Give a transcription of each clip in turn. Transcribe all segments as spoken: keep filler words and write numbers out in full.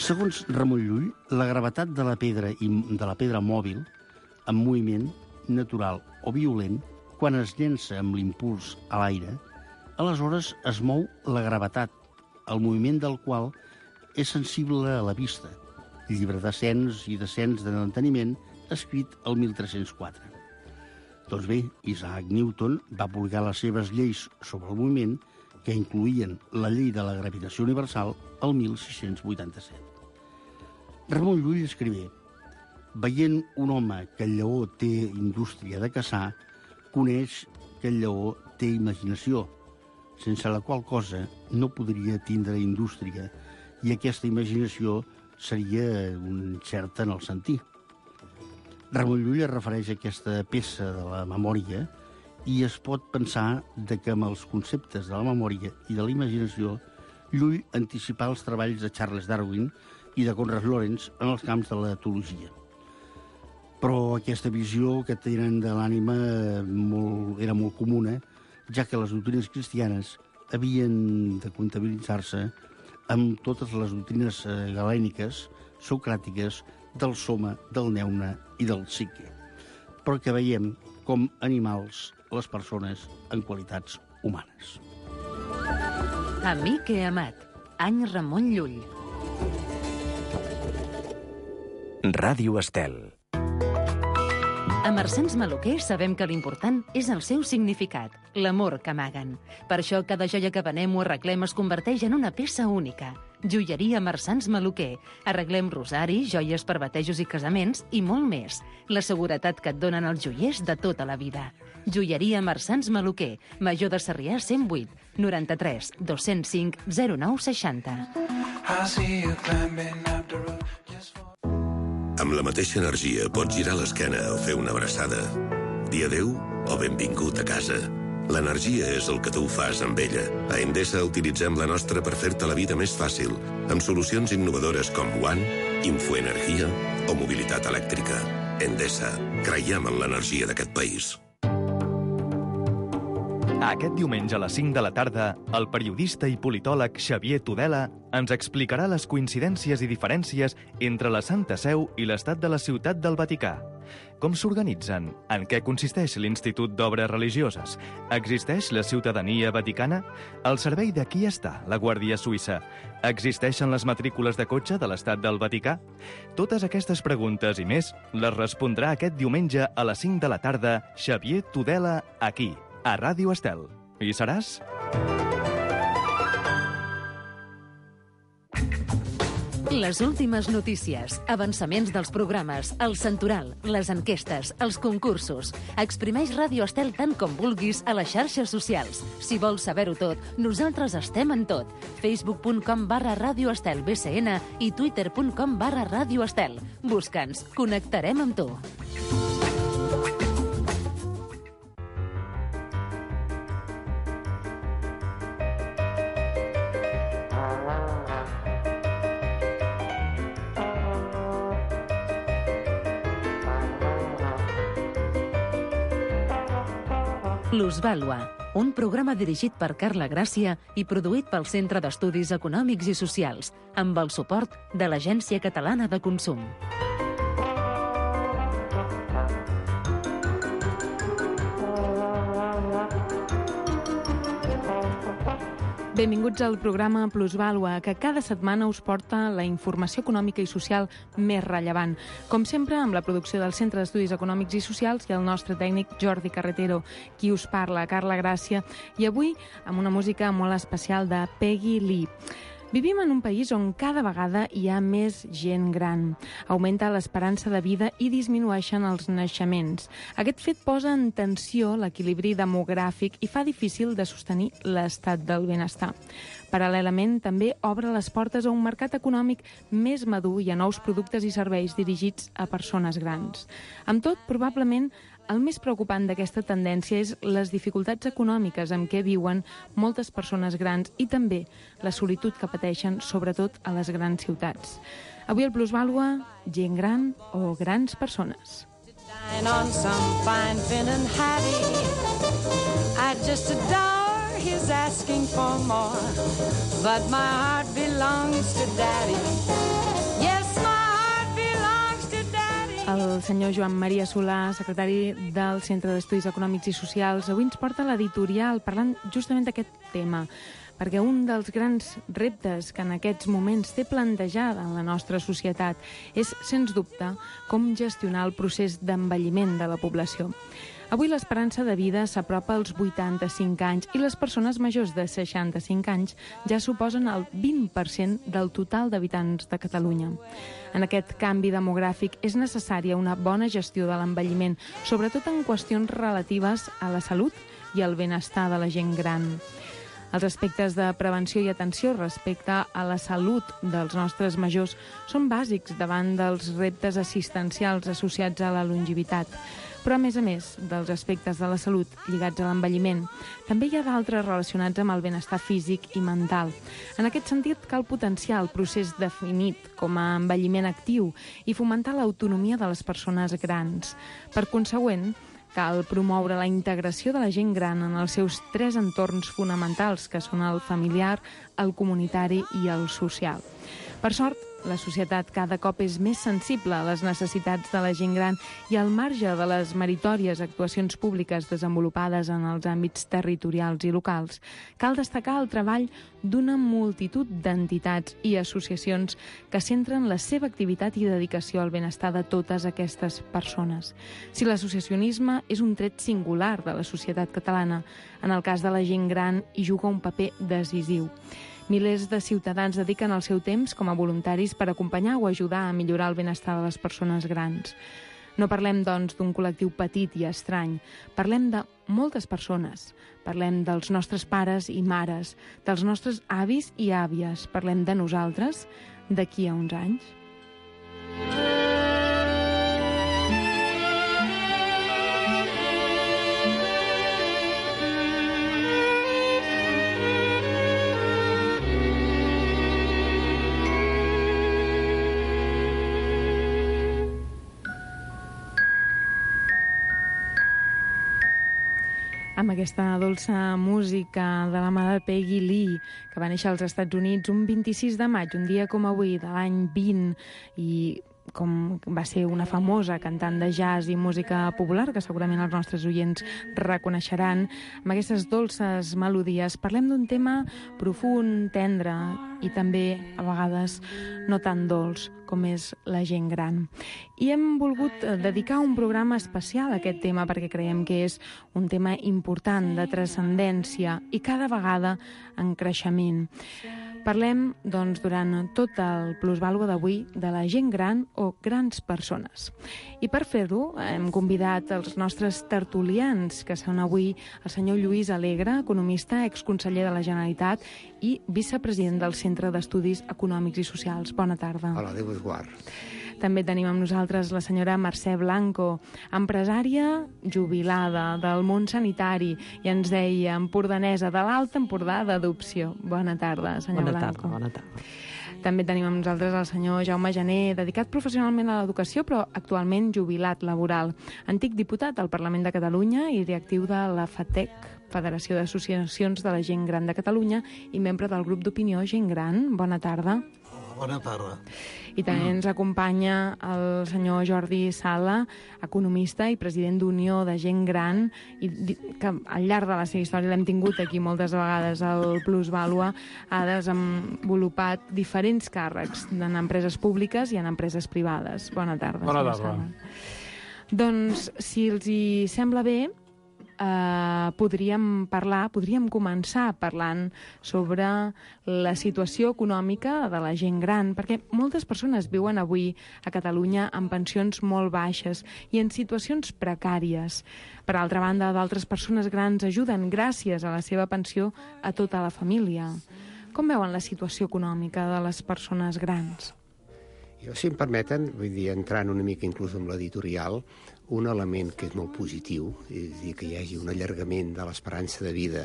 Segons Ramon Llull, la gravetat de la pedra i de la pedra mòbil, en moviment, natural o violent, quan es llença amb l'impuls a l'aire, aleshores es mou la gravetat, el moviment del qual és sensible a la vista. Llibre d'ascens i descens de l'enteniment, escrit el mil tres-cents quatre. Doncs bé, Isaac Newton va publicar les seves lleis sobre el moviment, que incloïen la llei de la gravitació universal, el mil sis-cents vuitanta-set. Ramon Llull escrivé: veient un home que el lleó té indústria de caçar, coneix que el lleó té imaginació, sense la qual cosa no podria tindre indústria, i aquesta imaginació seria incerta en el sentir. Ramon Llull es refereix a aquesta peça de la memòria i es pot pensar de que amb els conceptes de la memòria i de la imaginació Llull anticipà els treballs de Charles Darwin i de Conrad Lorenz en els camps de l'etologia. Però aquesta visió que tenen de l'ànima molt, era molt comuna, ja que les doctrines cristianes havien de comptabilitzar-se amb totes les doctrines galèniques, socràtiques, del soma, del neune i del psique. Però que veiem com animals les persones en qualitats humanes. Amic he amat, any Ramon Llull. Ràdio Estel. A Marsans Maluquer sabem que l'important és el seu significat, l'amor que amaguen. Per això cada joia que venem o arreglem es converteix en una peça única. Joieria Marsans Maluquer. Arreglem rosari, joies per batejos i casaments i molt més. La seguretat que et donen els joiers de tota la vida. Joieria Marsans Maluquer. Major de Sarrià cent vuit, noranta-tres, dos-cents cinc, zero nou seixanta. Amb la mateixa energia pots girar l'esquena o fer una abraçada. Dir adéu o benvingut a casa. L'energia és el que tu fas amb ella. A Endesa utilitzem la nostra per fer-te la vida més fàcil, amb solucions innovadores com One, Infoenergia o mobilitat elèctrica. Endesa. Creiem en l'energia d'aquest país. Aquest diumenge a les cinc de la tarda, el periodista i politòleg Xavier Tudela ens explicarà les coincidències i diferències entre la Santa Seu i l'estat de la Ciutat del Vaticà. Com s'organitzen? En què consisteix l'Institut d'Obres Religioses? Existeix la ciutadania vaticana? Al servei de qui està la Guàrdia Suïssa? Existeixen les matrícules de cotxe de l'estat del Vaticà? Totes aquestes preguntes i més les respondrà aquest diumenge a les cinc de la tarda Xavier Tudela aquí, a Ràdio Estel. Hi seràs? Les últimes notícies, avançaments dels programes, el santoral, les enquestes, els concursos. Exprimeix Ràdio Estel tant com vulguis a les xarxes socials. Si vols saber-ho tot, nosaltres estem en tot. facebook.com barra Ràdio Estel B C N i twitter.com barra Ràdio Estel. Busca'ns, connectarem amb tu. Plusvàlua, un programa dirigit per Carla Gràcia i produït pel Centre d'Estudis Econòmics i Socials, amb el suport de l'Agència Catalana de Consum. Benvinguts al programa Plusvàlua, que cada setmana us porta la informació econòmica i social més rellevant. Com sempre, amb la producció del Centre d'Estudis Econòmics i Socials i el nostre tècnic Jordi Carretero, qui us parla, Carla Gràcia, i avui amb una música molt especial de Peggy Lee. Vivim en un país on cada vegada hi ha més gent gran. Augmenta l'esperança de vida i disminueixen els naixements. Aquest fet posa en tensió l'equilibri demogràfic i fa difícil de sostenir l'estat del benestar. Paral·lelament, també obre les portes a un mercat econòmic més madur i a nous productes i serveis dirigits a persones grans. Amb tot, probablement, el més preocupant d'aquesta tendència és les dificultats econòmiques amb què viuen moltes persones grans i també la solitud que pateixen, sobretot a les grans ciutats. Avui el Plusvàlua, gent gran o grans persones. el senyor Joan Maria Solà, secretari del Centre d'Estudis Econòmics i Socials. Avui ens porta l'editorial parlant justament d'aquest tema, perquè un dels grans reptes que en aquests moments té plantejada en la nostra societat és, sens dubte, com gestionar el procés d'envelliment de la població. Avui l'esperança de vida s'apropa als vuitanta-cinc anys i les persones majors de seixanta-cinc anys ja suposen el vint per cent del total d'habitants de Catalunya. En aquest canvi demogràfic és necessària una bona gestió de l'envelliment, sobretot en qüestions relatives a la salut i al benestar de la gent gran. Els aspectes de prevenció i atenció respecte a la salut dels nostres majors són bàsics davant dels reptes assistencials associats a la longevitat. Però, a més a més dels aspectes de la salut lligats a l'envelliment, també hi ha d'altres relacionats amb el benestar físic i mental. En aquest sentit, cal potenciar el procés definit com a envelliment actiu i fomentar l'autonomia de les persones grans. Per consegüent, cal promoure la integració de la gent gran en els seus tres entorns fonamentals, que són el familiar, el comunitari i el social. Per sort, la societat cada cop és més sensible a les necessitats de la gent gran i al marge de les meritòries actuacions públiques desenvolupades en els àmbits territorials i locals, cal destacar el treball d'una multitud d'entitats i associacions que centren la seva activitat i dedicació al benestar de totes aquestes persones. Si l'associacionisme és un tret singular de la societat catalana, en el cas de la gent gran hi juga un paper decisiu. Milers de ciutadans dediquen el seu temps com a voluntaris per acompanyar o ajudar a millorar el benestar de les persones grans. No parlem, doncs, d'un col·lectiu petit i estrany. Parlem de moltes persones. Parlem dels nostres pares i mares, dels nostres avis i àvies. Parlem de nosaltres d'aquí a uns anys. Amb aquesta dolça música de la mà de Peggy Lee, que va néixer als Estats Units un vint-i-sis de maig, un dia com avui, de l'any vint, i com va ser una famosa cantant de jazz i música popular, que segurament els nostres oients reconeixeran. Amb aquestes dolces melodies parlem d'un tema profund, tendre i també, a vegades, no tan dolç, com és la gent gran. I hem volgut dedicar un programa especial a aquest tema perquè creiem que és un tema important, de transcendència i cada vegada en creixement. Parlem, doncs, durant tot el plusvàlua d'avui de la gent gran o grans persones. I per fer-ho hem convidat els nostres tertulians, que són avui el senyor Lluís Alegre, economista, exconseller de la Generalitat i vicepresident del Centre d'Estudis Econòmics i Socials. Bona tarda. Hola, Déu us guard. També tenim amb nosaltres la senyora Mercè Blanco, empresària jubilada del món sanitari, i ens deia empordanesa de l'Alt Empordà d'adopció. Bona tarda, senyora Blanco. Bona tarda, bona tarda. També tenim amb nosaltres el senyor Jaume Jané, dedicat professionalment a l'educació, però actualment jubilat laboral. Antic diputat al Parlament de Catalunya i directiu de la FATEC, Federació d'Associacions de la Gent Gran de Catalunya, i membre del grup d'opinió Gent Gran. Bona tarda. Bona tarda. I també ens acompanya el senyor Jordi Sala, economista i president d'Unió de Gent Gran, i que al llarg de la seva història l'hem tingut aquí moltes vegades al Plusvàlua, ha desenvolupat diferents càrrecs en empreses públiques i en empreses privades. Bona tarda. Bona tarda. Doncs, si els hi sembla bé, Uh, podríem parlar, podríem començar parlant sobre la situació econòmica de la gent gran, perquè moltes persones viuen avui a Catalunya amb pensions molt baixes i en situacions precàries. Per altra banda, d'altres persones grans ajuden gràcies a la seva pensió a tota la família. Com veuen la situació econòmica de les persones grans? Jo, si em permeten, vull dir, entrant una mica inclús amb l'editorial, un element que és molt positiu, és a dir, que hi hagi un allargament de l'esperança de vida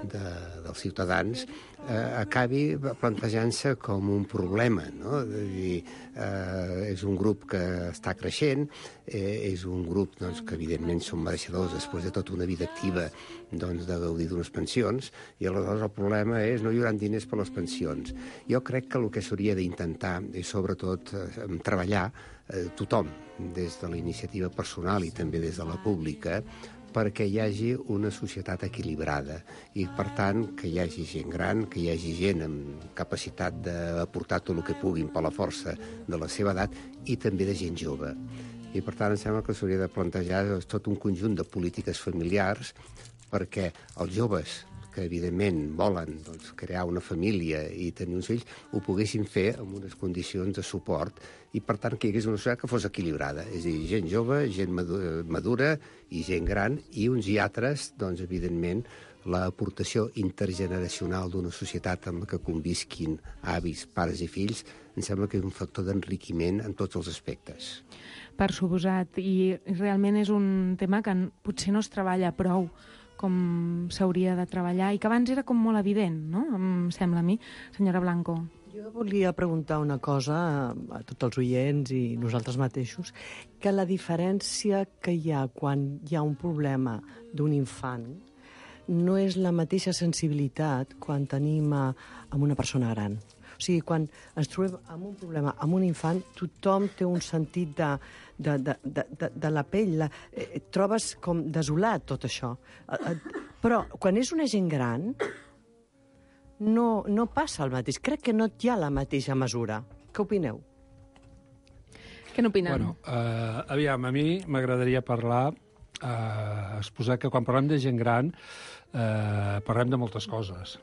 de, dels ciutadans eh, acabi plantejant-se com un problema, no? És a dir, eh, és un grup que està creixent, eh, és un grup doncs, que evidentment són mereixedors després de tota una vida activa doncs, de gaudir d'unes pensions, i aleshores el problema és no hi haurà diners per les pensions. Jo crec que el que s'hauria d'intentar és sobretot eh, treballar eh, tothom, des de la iniciativa personal i també des de la pública, perquè hi hagi una societat equilibrada i, per tant, que hi hagi gent gran, que hi hagi gent amb capacitat d'aportar tot el que puguin per la força de la seva edat i també de gent jove. I, per tant, em sembla que s'hauria de plantejar tot un conjunt de polítiques familiars perquè els joves que evidentment volen doncs, crear una família i tenir uns fills, ho poguessin fer amb unes condicions de suport i, per tant, que hi hagués una societat que fos equilibrada. És a dir, gent jove, gent madura i gent gran, i uns i altres, doncs, evidentment, l'aportació intergeneracional d'una societat amb la que convisquin avis, pares i fills, em sembla que és un factor d'enriquiment en tots els aspectes. Per suposat, i realment és un tema que potser no es treballa prou com s'hauria de treballar, i que abans era com molt evident, no? Em sembla a mi. Senyora Blanco. Jo volia preguntar una cosa a, a tots els oients i nosaltres mateixos, que la diferència que hi ha quan hi ha un problema d'un infant no és la mateixa sensibilitat quan tenim a, amb una persona gran. O sigui, quan ens trobem amb un problema, amb un infant, tothom té un sentit de, de, de, de, de, de la pell. La, eh, trobes com desolat tot això. Eh, eh, però quan és una gent gran, no, no passa el mateix. Crec que no hi ha la mateixa mesura. Què opineu? Què n'opinen? Bueno, eh, aviam, a mi m'agradaria parlar, eh, exposar que quan parlem de gent gran eh, parlem de moltes coses.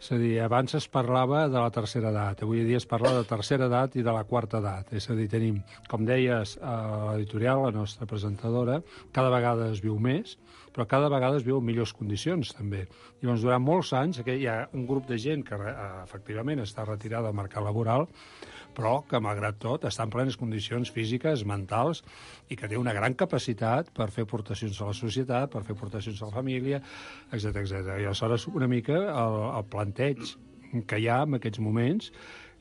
És a dir, abans es parlava de la tercera edat, avui dia es parla de tercera edat i de la quarta edat. És a dir, tenim, com deies, a l'editorial, la nostra presentadora, cada vegada es viu més, però cada vegada es viu en millors condicions, també. I llavors, durant molts anys, hi ha un grup de gent que, efectivament, està retirada del mercat laboral, però que, malgrat tot, està en plenes condicions físiques, mentals, i que té una gran capacitat per fer aportacions a la societat, per fer aportacions a la família, etcètera etcètera. I aleshores, una mica, el, el planteig que hi ha en aquests moments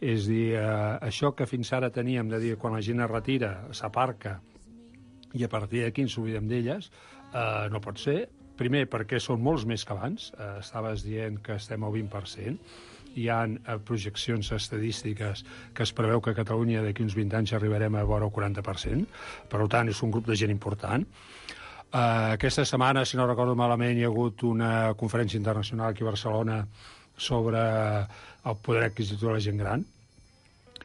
és dir, eh, això que fins ara teníem de dir quan la gent es retira, s'aparca, i a partir d'aquí ens oblidem d'elles, eh, no pot ser. Primer, perquè són molts més que abans. Eh, estaves dient que estem al vint per cent. Hi ha eh, projeccions estadístiques que es preveu que a Catalunya d'aquí uns vint anys arribarem a vora el quaranta per cent. Per tant, és un grup de gent important. Uh, aquesta setmana, si no recordo malament, hi ha hagut una conferència internacional aquí a Barcelona sobre el poder adquisitiu de la gent gran,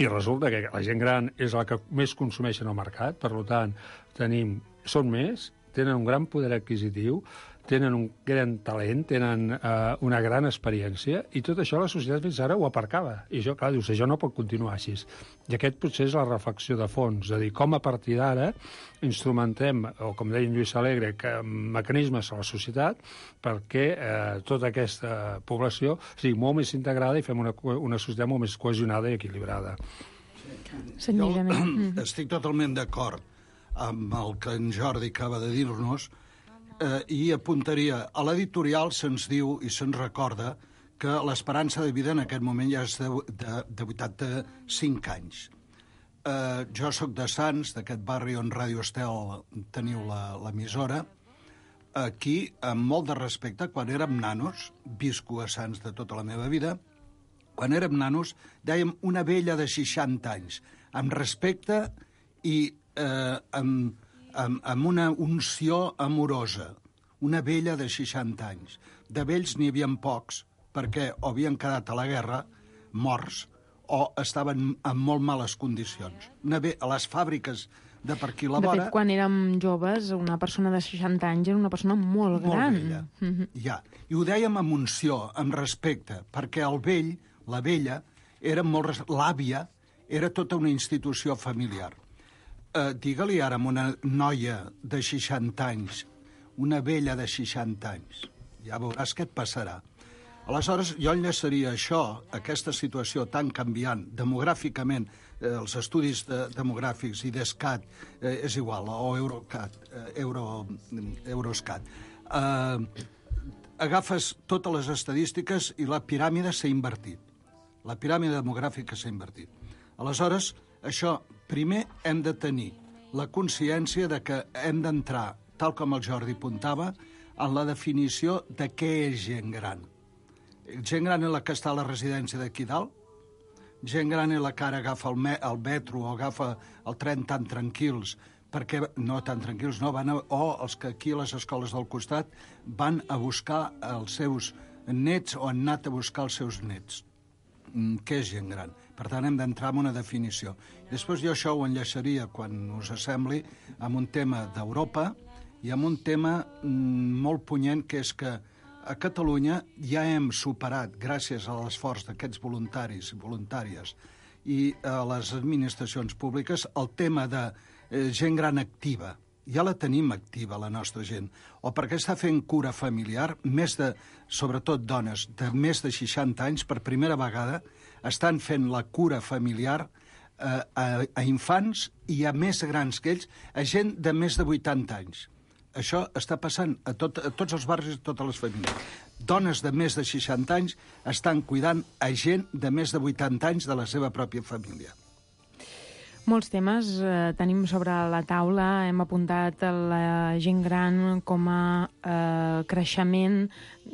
i resulta que la gent gran és la que més consumeix en el mercat, per tant, tenim, són més, tenen un gran poder adquisitiu, tenen un gran talent, tenen uh, una gran experiència, i tot això la societat fins ara ho aparcava. I això, clar, dius, això no pot continuar així. I aquest potser és la reflexió de fons, de dir com a partir d'ara instrumentem, o com deia en Lluís Alegre, que, mecanismes a la societat perquè eh, tota aquesta població sigui molt més integrada i fem una, una societat molt més cohesionada i equilibrada. Senyor Jané. Estic totalment d'acord amb el que en Jordi acaba de dir-nos, eh, i apuntaria, a l'editorial se'ns diu i se'ns recorda que l'esperança de vida en aquest moment ja és de, de, de vuitanta-cinc anys. Eh, jo sóc de Sants, d'aquest barri on Ràdio Estel teniu l'emissora. Aquí, amb molt de respecte, quan érem nanos, visco a Sants de tota la meva vida, quan érem nanos dèiem una vella de seixanta anys, amb respecte i eh, amb, amb, amb una unció amorosa. Una vella de seixanta anys. De vells n'hi havia pocs, perquè o havien quedat a la guerra morts o estaven en molt males condicions. Una ve a les fàbriques de per aquí la vora... De fet, quan érem joves, una persona de seixanta anys era una persona molt gran. Molt vella, mm-hmm. Ja. I ho dèiem amb unció, amb respecte, perquè el vell, la vella, era molt... Res... L'àvia era tota una institució familiar. Eh, digue-li ara a una noia de seixanta anys, una vella de seixanta anys, ja veuràs què et passarà. Aleshores, jo enllaçaria això, aquesta situació tan canviant, demogràficament, eh, els estudis de, demogràfics i d'ESCAT, eh, és igual, o Eurocat, eh, Euro, Euroscat, eh, agafes totes les estadístiques i la piràmide s'ha invertit. La piràmide demogràfica s'ha invertit. Aleshores, això, primer hem de tenir la consciència de que hem d'entrar, tal com el Jordi apuntava, en la definició de què és gent gran. Gent gran és la que està a la residència d'aquí dalt, gent gran és la que ara agafa el, me el metro o agafa el tren tan tranquils, perquè, no tan tranquils, no, van a, o els que aquí a les escoles del costat van a buscar els seus nets o han anat a buscar els seus nets. Què és gent gran? Per tant, hem d'entrar en una definició. Després jo això ho enllaçaria, quan us assembli, amb un tema d'Europa i amb un tema mm, molt punyent, que és que a Catalunya ja hem superat, gràcies a l'esforç d'aquests voluntaris i voluntàries i a les administracions públiques, el tema de eh, gent gran activa. Ja la tenim activa, la nostra gent. O perquè està fent cura familiar, més de, sobretot dones de més de seixanta anys, per primera vegada, estan fent la cura familiar eh, a, a infants i a més grans que ells, a gent de més de vuitanta anys. Això està passant a, tot, a tots els barris i a totes les famílies. Dones de més de seixanta anys estan cuidant a gent de més de vuitanta anys de la seva pròpia família. Molts temes eh, tenim sobre la taula. Hem apuntat la gent gran com a eh, creixement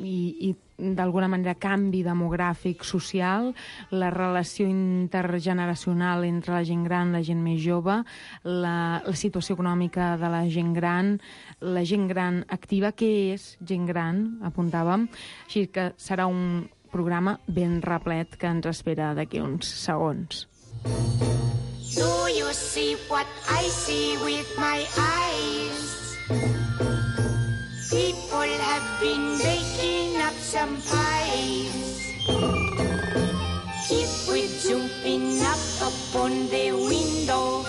i, i d'alguna manera canvi demogràfic social, la relació intergeneracional entre la gent gran i la gent més jove, la, la situació econòmica de la gent gran, la gent gran activa. Què és gent gran? Apuntàvem. Així que serà un programa ben replet que ens espera d'aquí uns segons. Do you see what I see with my eyes? People have been baking up some pies. If we jumping up upon the window,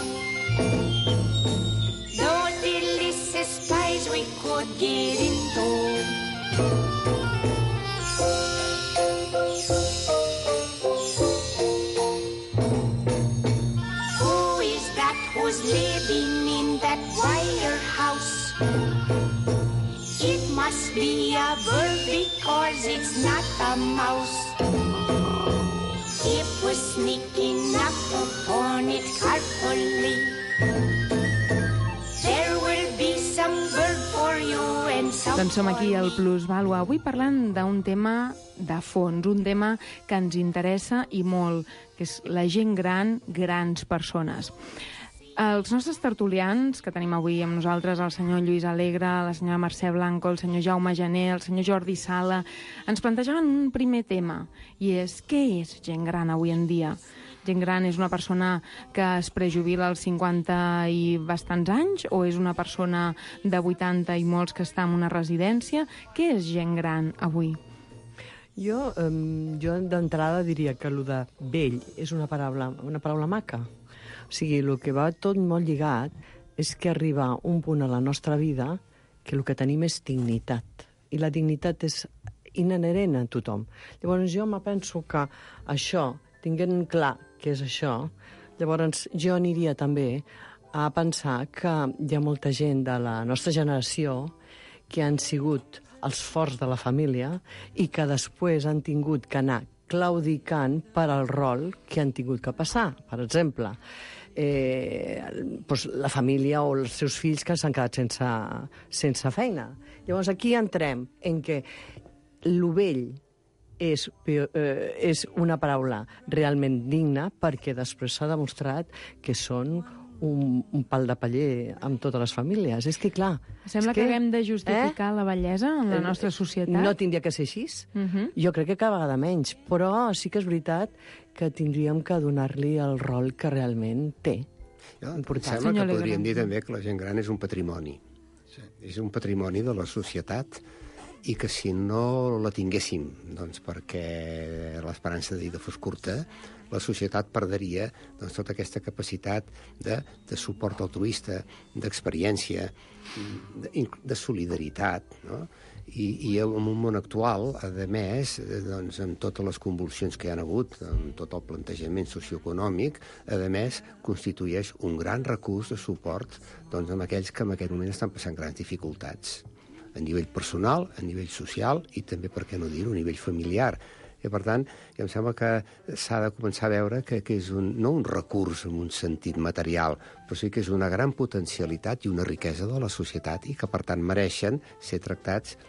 those delicious pies we could get into. Who's living in that wire house? It must be a bird because it's not a mouse. If we're sneaking up upon it carefully, there will be some bird for you and some. Doncs som aquí al Plusvàlua, avui parlant d'un tema de fons, un tema que ens interessa i molt, que és la gent gran, grans persones. Els nostres tertulians, que tenim avui amb nosaltres, el senyor Lluís Alegre, la senyora Mercè Blanco, el senyor Jaume Gené, el senyor Jordi Sala, ens plantejaven un primer tema, i és què és gent gran avui en dia? Gent gran és una persona que es prejubila als cinquanta i bastants anys, o és una persona de vuitanta i molts que està en una residència? Què és gent gran avui? Jo, um, jo d'entrada diria que el de vell és una paraula, una paraula maca. O sigui, el que va tot molt lligat és que arriba un punt a la nostra vida que el que tenim és dignitat. I la dignitat és inherent a tothom. Llavors jo me penso que això, tinguent clar què és això, llavors jo aniria també a pensar que hi ha molta gent de la nostra generació que han sigut els forts de la família i que després han tingut que anar claudicant per al rol que han tingut que passar. Per exemple, eh, doncs la família o els seus fills que s'han quedat sense, sense feina. Llavors aquí entrem en què lo vell és, eh, és una paraula realment digna perquè després s'ha demostrat que són un, un pal de paller amb totes les famílies. És que, clar... Sembla que, que haguem de justificar eh? la bellesa en la nostra societat. No tindria que ser així. Uh -huh. Jo crec que cada vegada menys. Però sí que és veritat que tindríem que donar-li el rol que realment té. Jo, em sembla que podríem dir també que la gent gran és un patrimoni. Sí. És un patrimoni de la societat i que si no la tinguéssim, doncs perquè l'esperança de vida fos curta, la societat perdria doncs, tota aquesta capacitat de, de suport altruista, d'experiència, de, de solidaritat, no? I, i en un món actual, a més, doncs, amb totes les convulsions que hi ha hagut, amb tot el plantejament socioeconòmic, a més, constitueix un gran recurs de suport doncs, amb aquells que en aquest moment estan passant grans dificultats. a nivell personal, a nivell social i també, per què no dir-ho, a nivell familiar. I, per tant, em sembla que s'ha de començar a veure que, que és un, no un recurs en un sentit material, però sí que és una gran potencialitat i una riquesa de la societat i que, per tant, mereixen ser tractats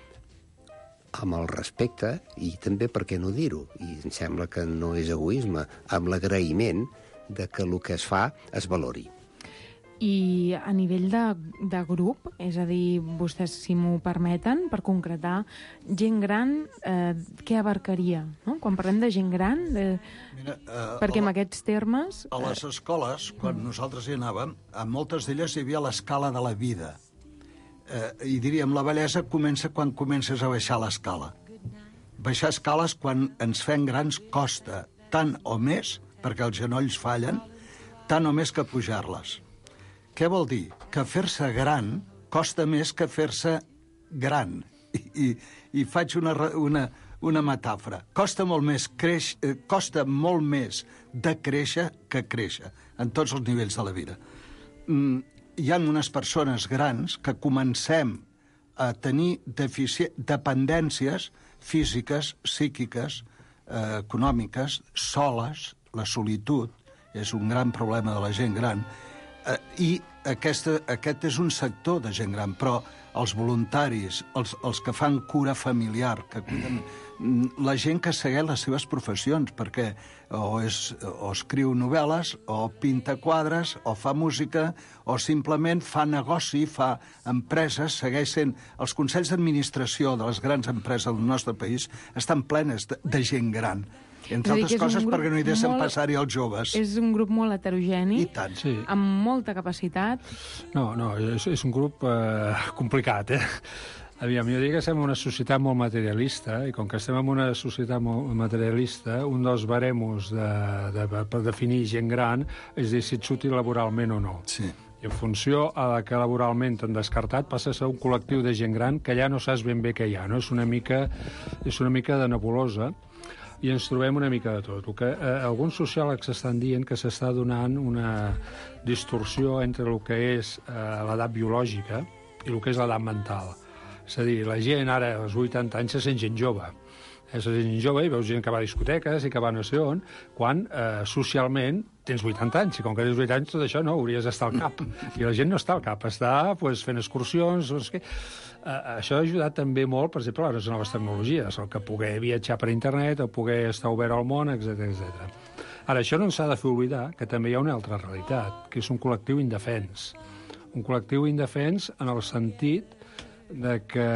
amb el respecte i també, per què no dir-ho, i em sembla que no és egoisme, amb l'agraïment de que el que es fa es valori. I a nivell de, de grup, és a dir, vostès, si m'ho permeten, per concretar, gent gran, eh, què abarcaria? No? Quan parlem de gent gran, eh, Mira, eh, perquè la, amb aquests termes... A les escoles, quan nosaltres hi anàvem, a moltes d'elles hi havia l'escala de la vida. Eh, I diríem, la bellesa comença quan comences a baixar l'escala. Baixar escales quan ens fem grans costa tant o més, perquè els genolls fallen, tant o més que pujar-les. Què vol dir? Que fer-se gran costa més que fer-se gran. I, i, i faig una, una, una metàfora. Costa molt més creix, eh, costa molt més de créixer que créixer, en tots els nivells de la vida. Mm, hi ha unes persones grans que comencem a tenir defici... dependències físiques, psíquiques, eh, econòmiques, soles, la solitud és un gran problema de la gent gran, Uh, i aquesta, aquest és un sector de gent gran, però els voluntaris, els, els que fan cura familiar, que cuiden, la gent que segueix les seves professions, perquè o, és, o escriu novel·les, o pinta quadres, o fa música, o simplement fa negoci, fa empreses, segueix sent... Els consells d'administració de les grans empreses del nostre país estan plenes de, de gent gran. Entre altres coses perquè no hi deixen molt... passar-hi els joves. És un grup molt heterogeni, I tant. Sí. amb molta capacitat. No, no, és, és un grup eh, complicat, eh? Aviam, jo dic que estem en una societat molt materialista, i com que estem en una societat molt materialista, un dels baremos de, de, per definir gent gran és dir si ets útil laboralment o no. Sí. I en funció a que laboralment t'han descartat, passa a ser un col·lectiu de gent gran que ja no saps ben bé què hi ha, no? És una mica, és una mica de nebulosa, i ens trobem una mica de tot. El que eh, alguns sociòlegs estan dient que s'està donant una distorsió entre el que és eh, l'edat biològica i el que és l'edat mental. És a dir, la gent ara, als vuitanta anys, se sent gent jove. Eh, se sent gent jove i veus gent que va a discoteques i que va no sé on, quan eh, socialment tens vuitanta anys, i com que tens vuitanta anys tot això no, hauries d'estar al cap. I la gent no està al cap, està pues, fent excursions, no sé què. Uh, això ha ajudat també molt, per exemple, a les noves tecnologies, el que poder viatjar per internet, el poder estar obert al món, etcètera etcètera. Ara, això no ens ha de fer oblidar que també hi ha una altra realitat, que és un col·lectiu indefens. Un col·lectiu indefens en el sentit de que,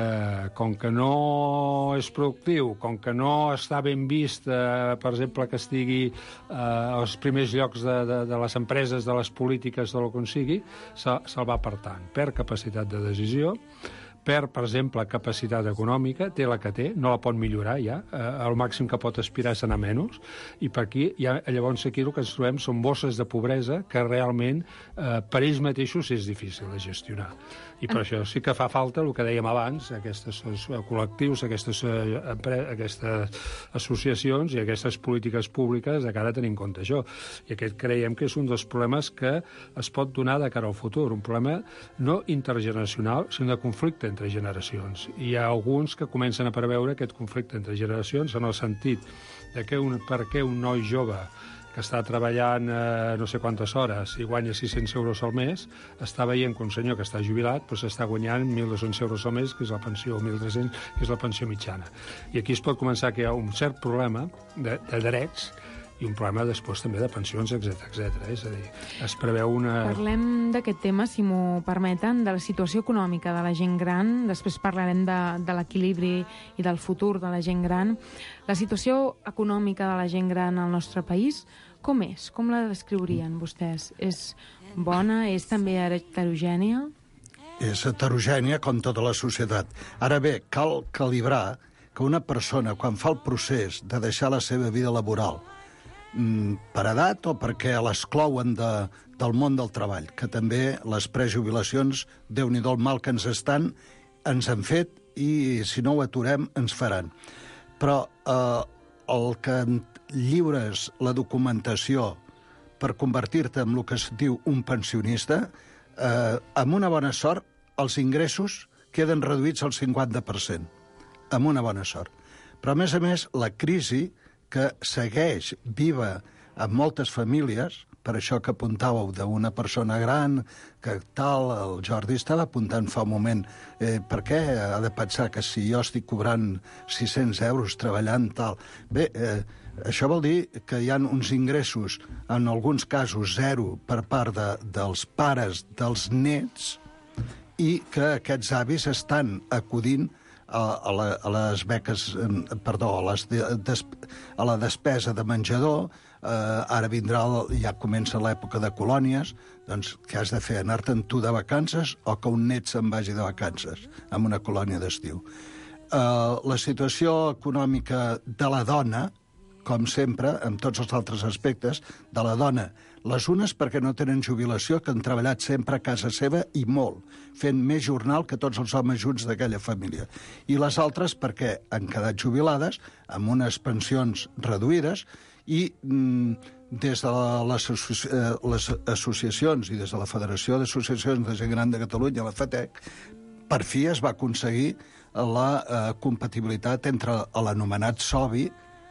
com que no és productiu, com que no està ben vist, eh, per exemple, que estigui eh, als primers llocs de, de, de les empreses, de les polítiques, de lo que sigui, se'l se va apartant. Perd capacitat de decisió, perd, per exemple, capacitat econòmica, té la que té, no la pot millorar ja, eh, el màxim que pot aspirar és anar menys, i per aquí, ja, llavors aquí el que ens trobem són bosses de pobresa que realment eh, per ells mateixos és difícil de gestionar. I per això sí que fa falta el que dèiem abans, aquests col·lectius, aquestes, aquestes associacions i aquestes polítiques públiques de cara a tenir en compte això. I aquest creiem que és un dels problemes que es pot donar de cara al futur, un problema no intergeneracional, sinó de conflicte entre generacions. I hi ha alguns que comencen a preveure aquest conflicte entre generacions en el sentit de que un, per què un noi jove que està treballant eh, no sé quantes hores i guanya sis-cents euros al mes, està veient que un senyor que està jubilat doncs està guanyant mil dos-cents euros al mes, que és la pensió, o mil tres-cents, que és la pensió mitjana. I aquí es pot començar que hi ha un cert problema de, de drets i un problema després també de pensions, etcètera etcètera. És a dir, es preveu una... Parlem d'aquest tema, si m'ho permeten, de la situació econòmica de la gent gran, després parlarem de, de l'equilibri i del futur de la gent gran. La situació econòmica de la gent gran al nostre país, com és? Com la descriurien vostès? És bona? És també heterogènia? És heterogènia com tota la societat. Ara bé, cal calibrar que una persona, quan fa el procés de deixar la seva vida laboral, per edat o perquè l'exclouen de, del món del treball, que també les prejubilacions, Déu-n'hi-do el mal que ens estan, ens han fet i si no ho aturem ens faran. Però eh, el que lliures la documentació per convertir-te en el que es diu un pensionista, eh, amb una bona sort, els ingressos queden reduïts al cinquanta per cent, amb una bona sort. Però, a més a més, la crisi que segueix viva en moltes famílies, per això que apuntàveu d'una persona gran, que tal, el Jordi estava apuntant fa un moment, eh, per què ha de pensar que si jo estic cobrant sis-cents euros treballant tal... Bé, eh, això vol dir que hi ha uns ingressos, en alguns casos zero, per part de, dels pares dels nets, i que aquests avis estan acudint a, a, la, a les beques, eh, perdó, a, les de, des, a la despesa de menjador. Eh, ara vindrà, ja comença l'època de colònies, doncs què has de fer, anar-te'n tu de vacances o que un net se'n vagi de vacances en una colònia d'estiu? Eh, la situació econòmica de la dona, com sempre, en tots els altres aspectes, de la dona, les unes perquè no tenen jubilació, que han treballat sempre a casa seva i molt, fent més jornal que tots els homes junts d'aquella família. I les altres perquè han quedat jubilades amb unes pensions reduïdes i mm, des de les, associ eh, les associacions i des de la Federació d'Associacions de Gent Gran de Catalunya, la FATEC, per fi es va aconseguir la eh, compatibilitat entre l'anomenat SOBI,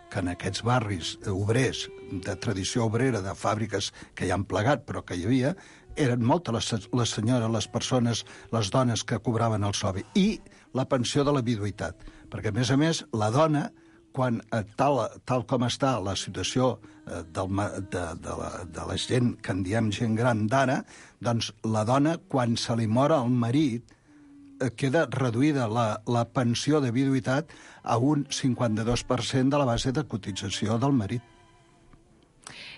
que en aquests barris obrers, de tradició obrera, de fàbriques que hi han plegat, però que hi havia, eren moltes les, les senyores, les persones, les dones que cobraven el SOBI, i la pensió de la viduïtat. Perquè, a més a més, la dona, quan tal, tal com està la situació eh, del, de, de, la, de la gent, que en diem gent gran d'ara, doncs la dona, quan se li mor el marit, eh, queda reduïda la, la pensió de viduïtat a un cinquanta-dos per cent de la base de cotització del marit.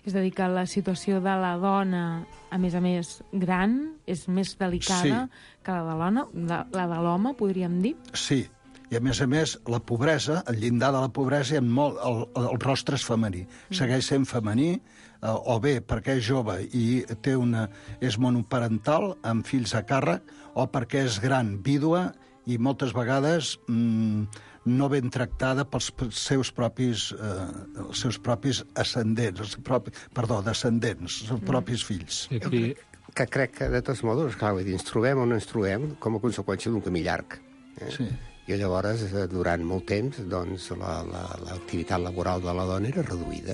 És a dir, que la situació de la dona, a més a més, gran, és més delicada sí. que la de l'home, la, la de l'home, podríem dir? Sí, i a més a més, la pobresa, el llindar de la pobresa, en molt, el, el rostre és femení. Mm. Segueix sent femení, eh, o bé perquè és jove i té una, és monoparental, amb fills a càrrec, o perquè és gran, vídua, i moltes vegades mm, no ben tractada pels seus propis, eh, els seus propis ascendents, els propi, perdó, descendents, els seus propis fills. Jo crec, que crec que, de tots modos, clar, vull dir, ens trobem o no ens trobem com a conseqüència d'un camí llarg. Eh? Sí. I llavors, durant molt temps, doncs, l'activitat la, la, laboral de la dona era reduïda.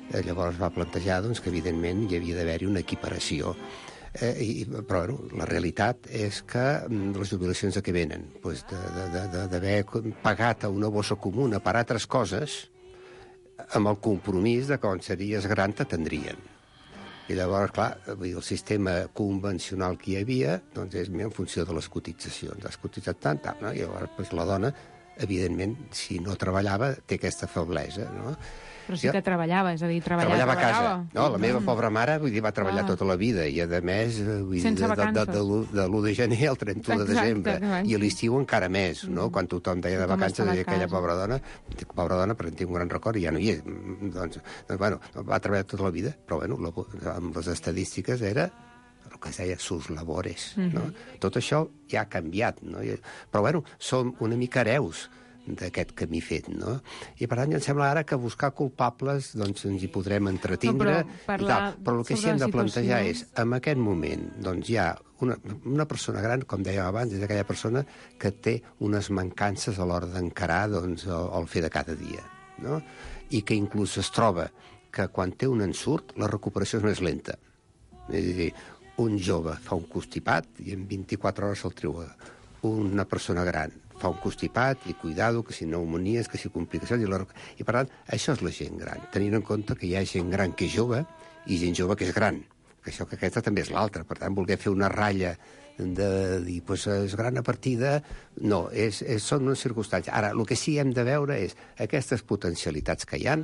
Eh, llavors va plantejar doncs, que, evidentment, hi havia d'haver-hi una equiparació. Eh, i, però, bueno, la realitat és que les jubilacions de què venen? Pues d'haver pagat a una bossa comuna per altres coses amb el compromís de que quan series gran t'atendrien. I llavors, clar, el sistema convencional que hi havia doncs és en funció de les cotitzacions. Has cotitzat tant, tant, no? I llavors doncs, la dona, evidentment, si no treballava, té aquesta feblesa, no? Però sí que treballava, és a dir, treballava, treballava a casa. treballava. No, la meva pobra mare, vull dir, va treballar ah. tota la vida, i a més, vull sense dir, vacances. de, de, de l'u de gener al trenta-u de desembre, exacte. I a l'estiu encara més, no? Mm. Quan tothom deia de vacances, deia aquella pobra dona, pobra dona, perquè en tinc un gran record, i ja no hi és. Doncs, doncs bueno, va treballar tota la vida, però, bueno, amb les estadístiques era el que es deia sus labores, mm-hmm. no? Tot això ja ha canviat, no? Però, bueno, som una mica hereus d'aquest camí fet, no? I per tant, em sembla ara que buscar culpables doncs ens hi podrem entretindre, no, però, i tal. Però el que sí hem de plantejar és, en aquest moment, doncs hi ha una, una persona gran, com dèiem abans, és aquella persona que té unes mancances a l'hora d'encarar doncs, el, el fer de cada dia, no? I que inclús es troba que quan té un ensurt, la recuperació és més lenta. És a dir, un jove fa un constipat i en vint-i-quatre hores se'l treu. Una persona gran fa un constipat i cuidado, que si pneumonies, que si complicacions... I, la... I per tant, això és la gent gran. Tenint en compte que hi ha gent gran que és jove i gent jove que és gran. Que això que aquesta també és l'altra. Per tant, voler fer una ratlla de dir, doncs, és gran a partir de... No, és, és, són unes circumstàncies. Ara, el que sí hem de veure és aquestes potencialitats que hi ha,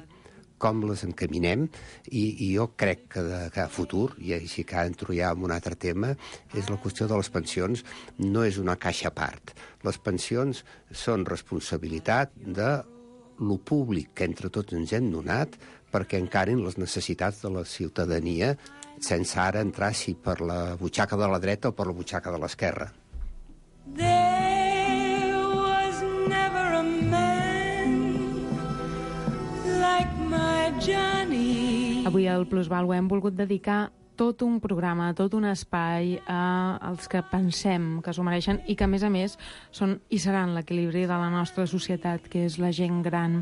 com les encaminem, i, i jo crec que, de, que a futur, i així que entro ja en un altre tema, és la qüestió de les pensions, no és una caixa a part. Les pensions són responsabilitat de lo públic que entre tots ens hem donat perquè encarin les necessitats de la ciutadania sense ara entrar si per la butxaca de la dreta o per la butxaca de l'esquerra. There was never a man like my Johnny. Avui al Plusvàlua hem volgut dedicar tot un programa, tot un espai a els que pensem que s'ho mereixen i que, a més a més, són i seran l'equilibri de la nostra societat, que és la gent gran.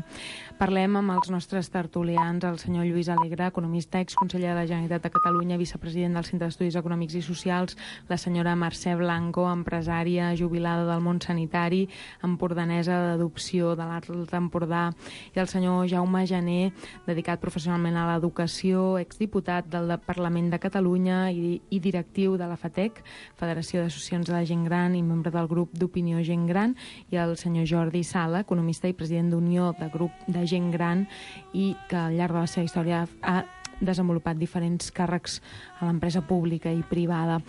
Parlem amb els nostres tertulians, el senyor Lluís Alegre, economista, exconseller de la Generalitat de Catalunya, vicepresident del Centre d'Estudis Econòmics i Socials, la senyora Mercè Blanco, empresària jubilada del món sanitari, empordanesa d'adopció de l'Alt Empordà, i el senyor Jaume Jané, dedicat professionalment a l'educació, exdiputat del Parlament de Catalunya i, i directiu de la FATEC, Federació d'Associacions de la Gent Gran, i membre del grup d'Opinió Gent Gran, i el senyor Jordi Sala, economista i president d'Unió de Grup de Gent Gran, i que al llarg de la seva història ha desenvolupat diferents càrrecs a l'empresa pública i privada.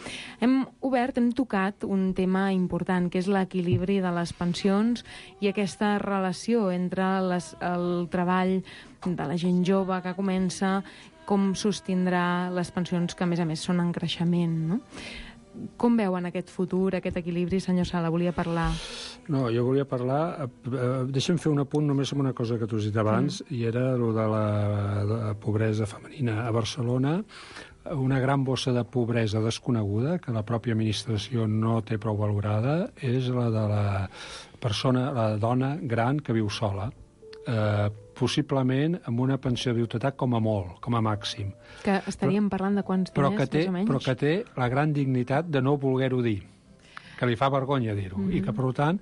Hem obert, hem tocat un tema important, que és l'equilibri de les pensions i aquesta relació entre les, el treball de la gent jove que comença, com sostindrà les pensions que, a més a més, són en creixement, no? Com veuen aquest futur, aquest equilibri? Senyor Sala, volia parlar. No, jo volia parlar... Eh, deixa'm fer un apunt només amb una cosa que t'ho has dit abans, mm. i era el de la, de la pobresa femenina. A Barcelona, una gran bossa de pobresa desconeguda, que la pròpia administració no té prou valorada, és la de la persona, la dona gran que viu sola. Eh, possiblement amb una pensió de viudetat com a molt, com a màxim. Que estaríem però, parlant de quants diners, que té, més o menys? Però que té la gran dignitat de no voler-ho dir, que li fa vergonya dir-ho, mm-hmm. i que, per tant,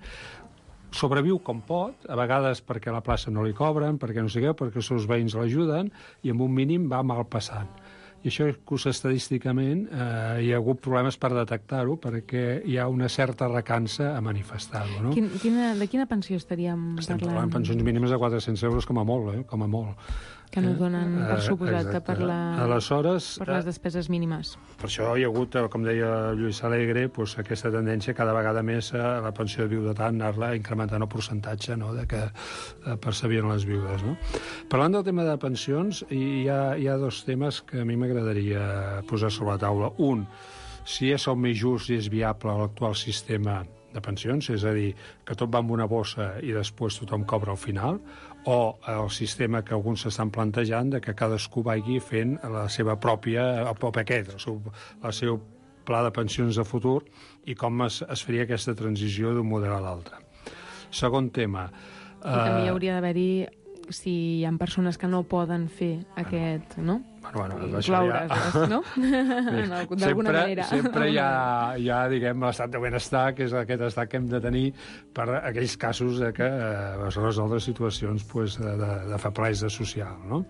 sobreviu com pot, a vegades perquè la plaça no li cobren, perquè no sé què, perquè els seus veïns l'ajuden, i amb un mínim va mal passant. I això, inclús estadísticament, eh, hi ha hagut problemes per detectar-ho, perquè hi ha una certa recança a manifestar-ho. No? Quin, quina, de quina pensió estaríem Estem parlant? parlant de pensions mínimes de quatre-cents euros com a molt, eh? com a molt. Que no donen per suposat eh, per, la, Aleshores, per les despeses mínimes. Per això hi ha hagut, com deia Lluís Alegre, doncs, aquesta tendència cada vegada més a la pensió de viudetat, anar-la incrementant el percentatge, no?, de que eh, percebien les viudes. No? Parlant del tema de pensions, hi ha, hi ha dos temes que a mi m'agradaria posar sobre la taula. Un, si és el més just i és viable l'actual sistema de pensions, és a dir, que tot va en una bossa i després tothom cobra al final, o el sistema que alguns s'estan plantejant de que cadascú vagi fent la seva pròpia, el propi aquest, el seu, el seu pla de pensions de futur i com es, es faria aquesta transició d'un model a l'altre. Segon tema. I eh... també hi hauria d'haver-hi, si hi ha persones que no poden fer bueno, aquest, no? Bueno, bueno, això ja... no? D'alguna manera. Sempre hi ha, hi ha, diguem, l'estat de benestar, que és aquest estat que hem de tenir per aquells casos de que eh, es resoldre situacions pues, de, de, de feblesa social, no?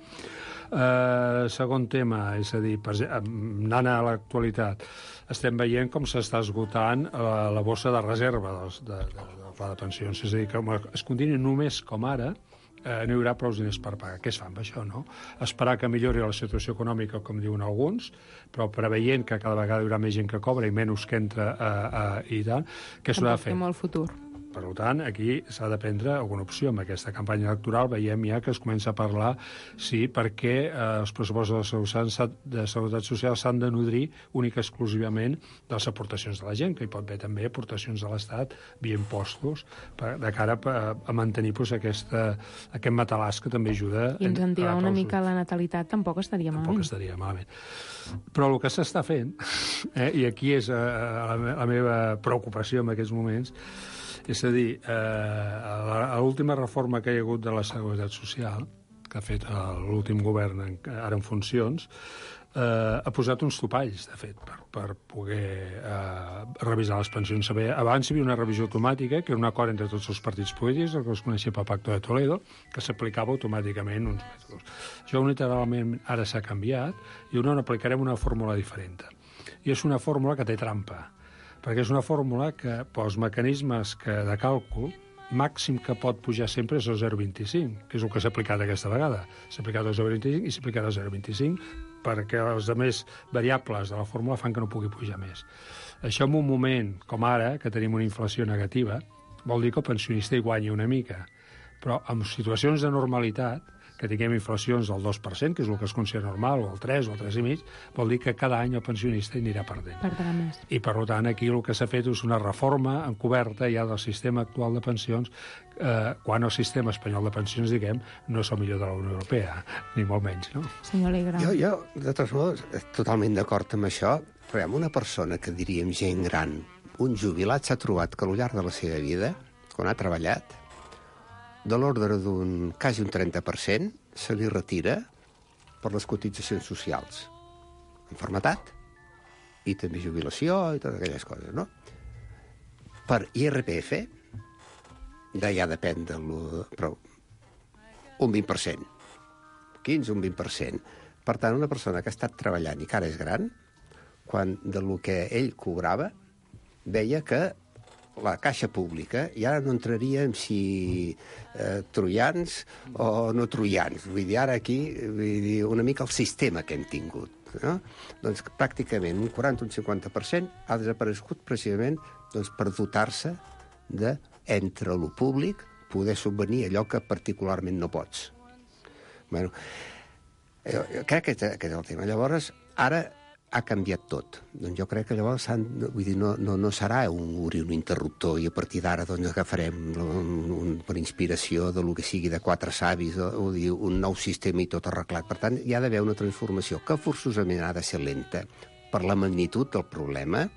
Eh, segon tema, és a dir, per, anant a l'actualitat, estem veient com s'està esgotant la, la bossa de reserva dels, de, de, del pla de pensions. És a dir, que es continua només com ara, eh, no hi haurà prou diners per pagar. Què es fa amb això, no? Esperar que millori la situació econòmica, com diuen alguns, però preveient que cada vegada hi haurà més gent que cobra i menys que entra eh, eh, i tant, què s'ha de fer? Tampoc té molt futur. Per tant, aquí s'ha de prendre alguna opció. Amb aquesta campanya electoral veiem ja que es comença a parlar sí, perquè eh, els pressupostos de Seguretat Social s'han de nodrir única i exclusivament de les aportacions de la gent, que hi pot haver també aportacions de l'Estat via impostos, per, de cara a, a mantenir pues, aquesta, aquest matalàs que també ajuda... I incentivar una mica la natalitat tampoc estaria malament. Tampoc estaria malament. Però el que s'està fent, eh, i aquí és eh, la, la meva preocupació en aquests moments, és a dir, eh, l'última reforma que hi ha hagut de la Seguretat Social, que ha fet l'últim govern en, ara en funcions, eh, ha posat uns topalls, de fet, per, per poder eh, revisar les pensions. Abans hi havia una revisió automàtica, que era un acord entre tots els partits polítics, el que es coneixia pel Pacte de Toledo, que s'aplicava automàticament uns mètodes. Això unilateralment ara s'ha canviat i on aplicarem una fórmula diferent. I és una fórmula que té trampa, perquè és una fórmula que pels mecanismes que de càlcul màxim que pot pujar sempre és el zero coma vint-i-cinc, que és el que s'ha aplicat aquesta vegada. S'ha aplicat el zero coma vint-i-cinc i s'ha aplicat el zero coma vint-i-cinc perquè les altres variables de la fórmula fan que no pugui pujar més. Això en un moment com ara, que tenim una inflació negativa, vol dir que el pensionista hi guanya una mica, però en situacions de normalitat que tinguem inflacions del dos per cent, que és el que es considera normal, o el tres, o el tres i mig, vol dir que cada any el pensionista hi anirà perdent. Perdrà més. I, per tant, aquí el que s'ha fet és una reforma encoberta ja del sistema actual de pensions, eh, quan el sistema espanyol de pensions, diguem, no és el millor de la Unió Europea, ni molt menys, no? Senyor Alegre. Jo, jo, de totes modes, totalment d'acord amb això, però una persona que diríem gent gran, un jubilat s'ha trobat que al llarg de la seva vida, quan ha treballat, de l'ordre d'un quasi un trenta per cent se li retira per les cotitzacions socials. Enfermetat i també jubilació i totes aquelles coses, no? Per I R P F, de ja depèn de lo, però un vint per cent. quinze, un vint per cent. Per tant, una persona que ha estat treballant i que ara és gran, quan de lo que ell cobrava, veia que la caixa pública, i ara no entraria en si eh, troians o no troians. Vull dir, ara aquí, vull dir, una mica el sistema que hem tingut. No? Doncs pràcticament un quaranta o un cinquanta per cent ha desaparegut precisament doncs, per dotar-se de, entre lo públic, poder subvenir allò que particularment no pots. Bueno, jo, jo crec que aquest és el tema. Llavors, ara ha canviat tot. Doncs jo crec que llavors vull dir, no, no, no serà un, un interruptor i a partir d'ara doncs, agafarem un, un, per inspiració de lo que sigui de quatre savis o, o dir, un nou sistema i tot arreglat. Per tant, hi ha d'haver una transformació que forçosament ha de ser lenta per la magnitud del problema,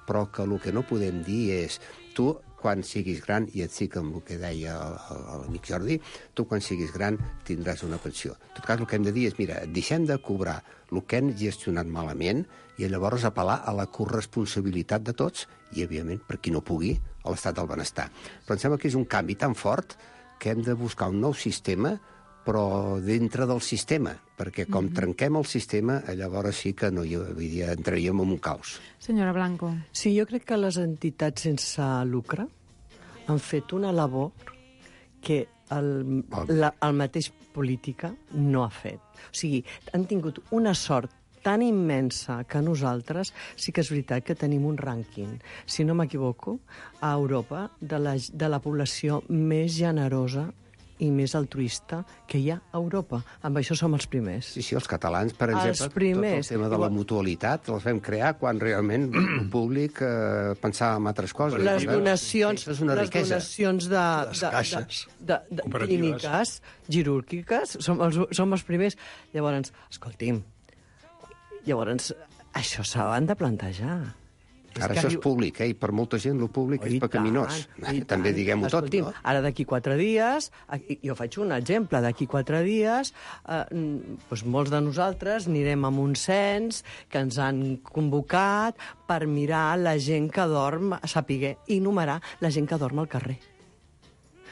però que el que no podem dir és tu, quan siguis gran, i et dic amb el que deia l'amic Jordi, tu quan siguis gran tindràs una pensió. En tot cas, el que hem de dir és, mira, deixem de cobrar el que hem gestionat malament i llavors apel·lar a la corresponsabilitat de tots i, evidentment, per qui no pugui, a l'estat del benestar. Però em sembla que és un canvi tan fort que hem de buscar un nou sistema, però dintre del sistema, perquè com mm-hmm. trenquem el sistema, llavors sí que no hi havia, entraríem en un caos. Senyora Blanco. Sí, jo crec que les entitats sense lucre han fet una labor que el, la, el mateix política no ha fet. O sigui, han tingut una sort tan immensa que nosaltres sí que és veritat que tenim un rànquing, si no m'equivoco, a Europa de la, de la població més generosa i més altruista que hi ha a Europa. Amb això som els primers. Sí, sí, els catalans, per exemple, els primers. tot el tema de la mutualitat els vam crear quan realment el públic eh, pensava en altres coses. Les donacions, és una les riquesa. donacions de, les de, caixes de, de, de clíniques, quirúrgiques, som els, som els primers. Llavors, escolti'm, llavors, això s'han de plantejar. Ara això és públic, eh? I per molta gent el públic és pecaminós. També diguem-ho tot, no? Ara d'aquí quatre dies, jo faig un exemple, d'aquí quatre dies, eh, doncs molts de nosaltres anirem a un cens que ens han convocat per mirar la gent que dorm, saber i numerar la gent que dorm al carrer.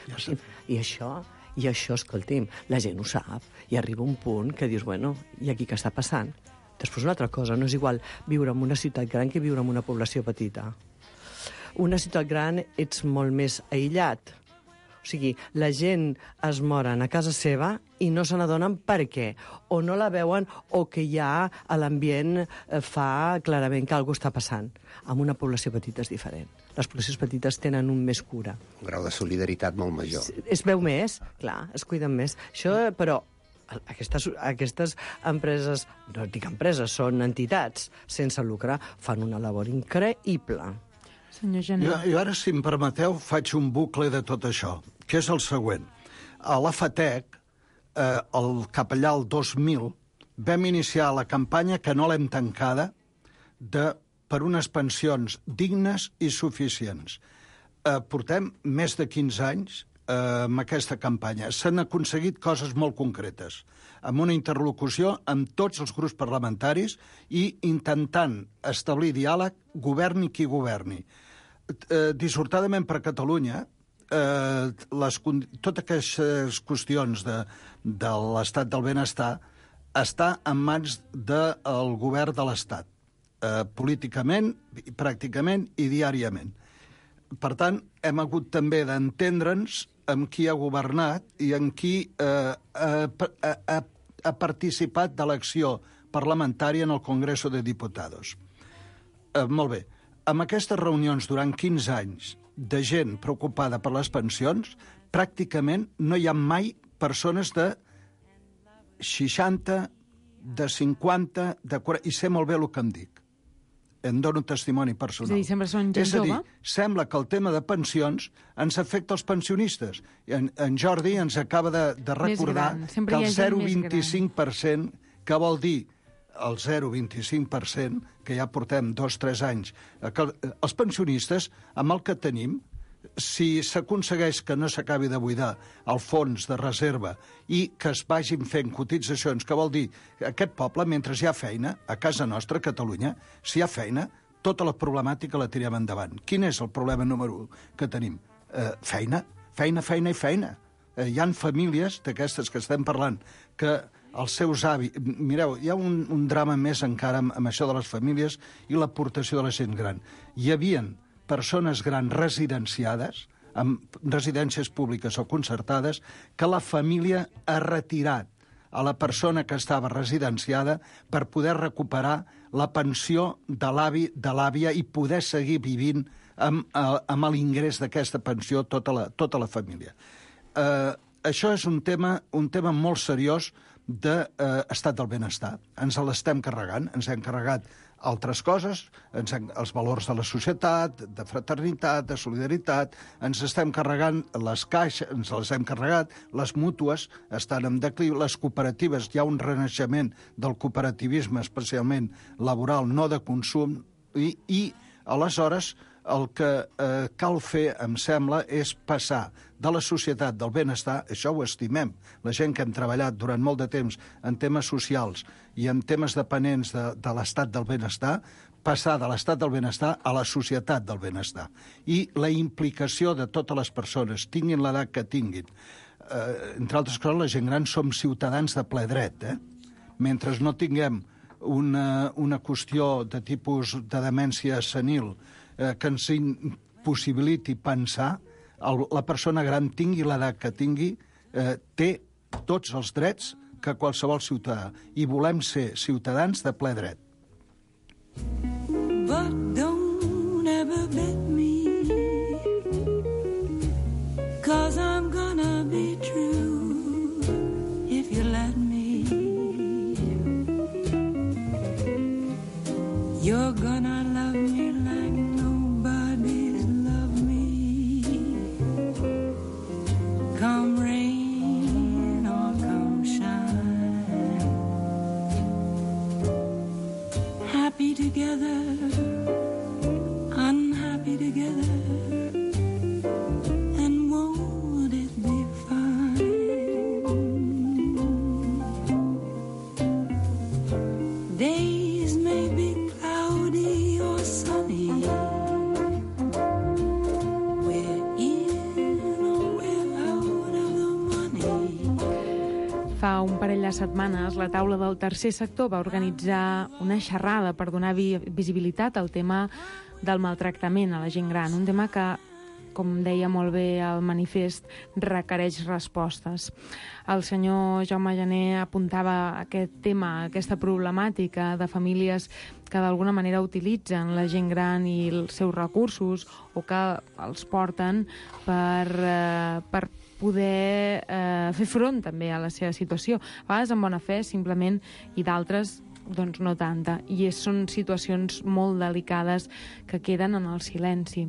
Ja I, I això, i això, escolti'm, la gent ho sap, i arriba un punt que dius, bueno, i aquí què està passant? Després una altra cosa, no és igual viure en una ciutat gran que viure en una població petita. Una ciutat gran ets molt més aïllat. O sigui, la gent es moren a casa seva i no se n'adonen per què. O no la veuen o que ja a l'ambient fa clarament que alguna cosa està passant. En una població petita és diferent. Les poblacions petites tenen un més cura. Un grau de solidaritat molt major. Es, es veu més, clar, es cuiden més. Això, però... Aquestes, aquestes empreses, no dic empreses, són entitats sense lucre, fan una labor increïble. Senyor Gené. Jo, jo ara, si em permeteu, faig un bucle de tot això, que és el següent. A la FATEC, eh, el, cap allà el dos mil, vam iniciar la campanya, que no l'hem tancada, de, per unes pensions dignes i suficients. Eh, portem més de quinze anys amb aquesta campanya. S'han aconseguit coses molt concretes, amb una interlocució amb tots els grups parlamentaris i intentant establir diàleg, governi qui governi. Eh, dissortadament per Catalunya, eh, les, totes aquestes qüestions de, de l'estat del benestar està en mans del govern de l'Estat, eh, políticament, pràcticament i diàriament. Per tant, hem hagut també d'entendre'ns amb qui ha governat i amb qui eh, ha, ha, ha participat de l'acció parlamentària en el Congreso de Diputados. Eh, molt bé. Amb aquestes reunions durant quinze anys de gent preocupada per les pensions, pràcticament no hi ha mai persones de seixanta, de cinquanta, de quaranta... I sé molt bé el que em dic. Em dono testimoni personal. És a dir, sempre són gent És a dir, jove? sembla que el tema de pensions ens afecta els pensionistes. En, en Jordi ens acaba de, de recordar que el zero coma vint-i-cinc per cent, que vol dir el zero coma vint-i-cinc per cent, que ja portem dos o tres anys, que els pensionistes, amb el que tenim, si s'aconsegueix que no s'acabi de buidar el fons de reserva i que es vagin fent cotitzacions, que vol dir que aquest poble, mentre hi ha feina, a casa nostra, a Catalunya, si hi ha feina, tota la problemàtica la tirem endavant. Quin és el problema número u que tenim? Eh, feina, feina, feina i feina. Eh, hi han famílies d'aquestes que estem parlant que els seus avis... Mireu, hi ha un, un drama més encara amb, amb això de les famílies i l'aportació de la gent gran. Hi havien persones grans residenciades, amb residències públiques o concertades, que la família ha retirat a la persona que estava residenciada per poder recuperar la pensió de l'avi, de l'àvia i poder seguir vivint amb, amb l'ingrés d'aquesta pensió tota la, tota la família. Eh, això és un tema, un tema molt seriós d'estat del benestar. Ens l'estem carregant, ens hem carregat altres coses, ens hem, els valors de la societat, de fraternitat, de solidaritat, ens estem carregant les caixes, ens les hem carregat, les mútues estan en declivi, les cooperatives, hi ha un renaixement del cooperativisme, especialment laboral, no de consum, i, i aleshores el que eh, cal fer, em sembla, és passar de la societat del benestar, això ho estimem, la gent que hem treballat durant molt de temps en temes socials i en temes dependents de, de l'estat del benestar, passar de l'estat del benestar a la societat del benestar. I la implicació de totes les persones, tinguin l'edat que tinguin. Eh, entre altres coses, la gent gran som ciutadans de ple dret, eh? Mentre no tinguem una, una qüestió de tipus de demència senil eh, que ens impossibiliti pensar, el, la persona gran tingui l'edat que tingui, eh, té tots els drets que qualsevol ciutadà. I volem ser ciutadans de ple dret. But don't ever bet me, 'cause I'm gonna be true if you let me. You're gonna love me like nobody's loved me. Come rain or come shine, happy together, unhappy together, and won't it be fine? Days may be cloudy or sunny, we're in or we're out of the money. Fa un parell de setmanes, la taula del tercer sector va organitzar una xerrada per donar vi visibilitat al tema del maltractament a la gent gran, un tema que, com deia molt bé el manifest, requereix respostes. El senyor Jaume Jané apuntava aquest tema, aquesta problemàtica de famílies que d'alguna manera utilitzen la gent gran i els seus recursos o que els porten per, eh, per poder eh, fer front també a la seva situació. A vegades amb bona fe, simplement, i d'altres doncs no tanta, i és, són situacions molt delicades que queden en el silenci.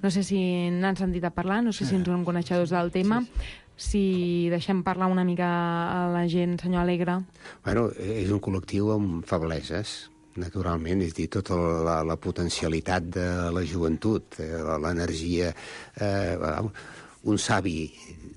No sé si n'han sentit a parlar, no sé si ens són coneixedors del tema, si deixem parlar una mica a la gent, senyor Alegre. Bueno, és un col·lectiu amb febleses, naturalment, és a dir, tota la, la potencialitat de la joventut, eh, l'energia... Eh, un savi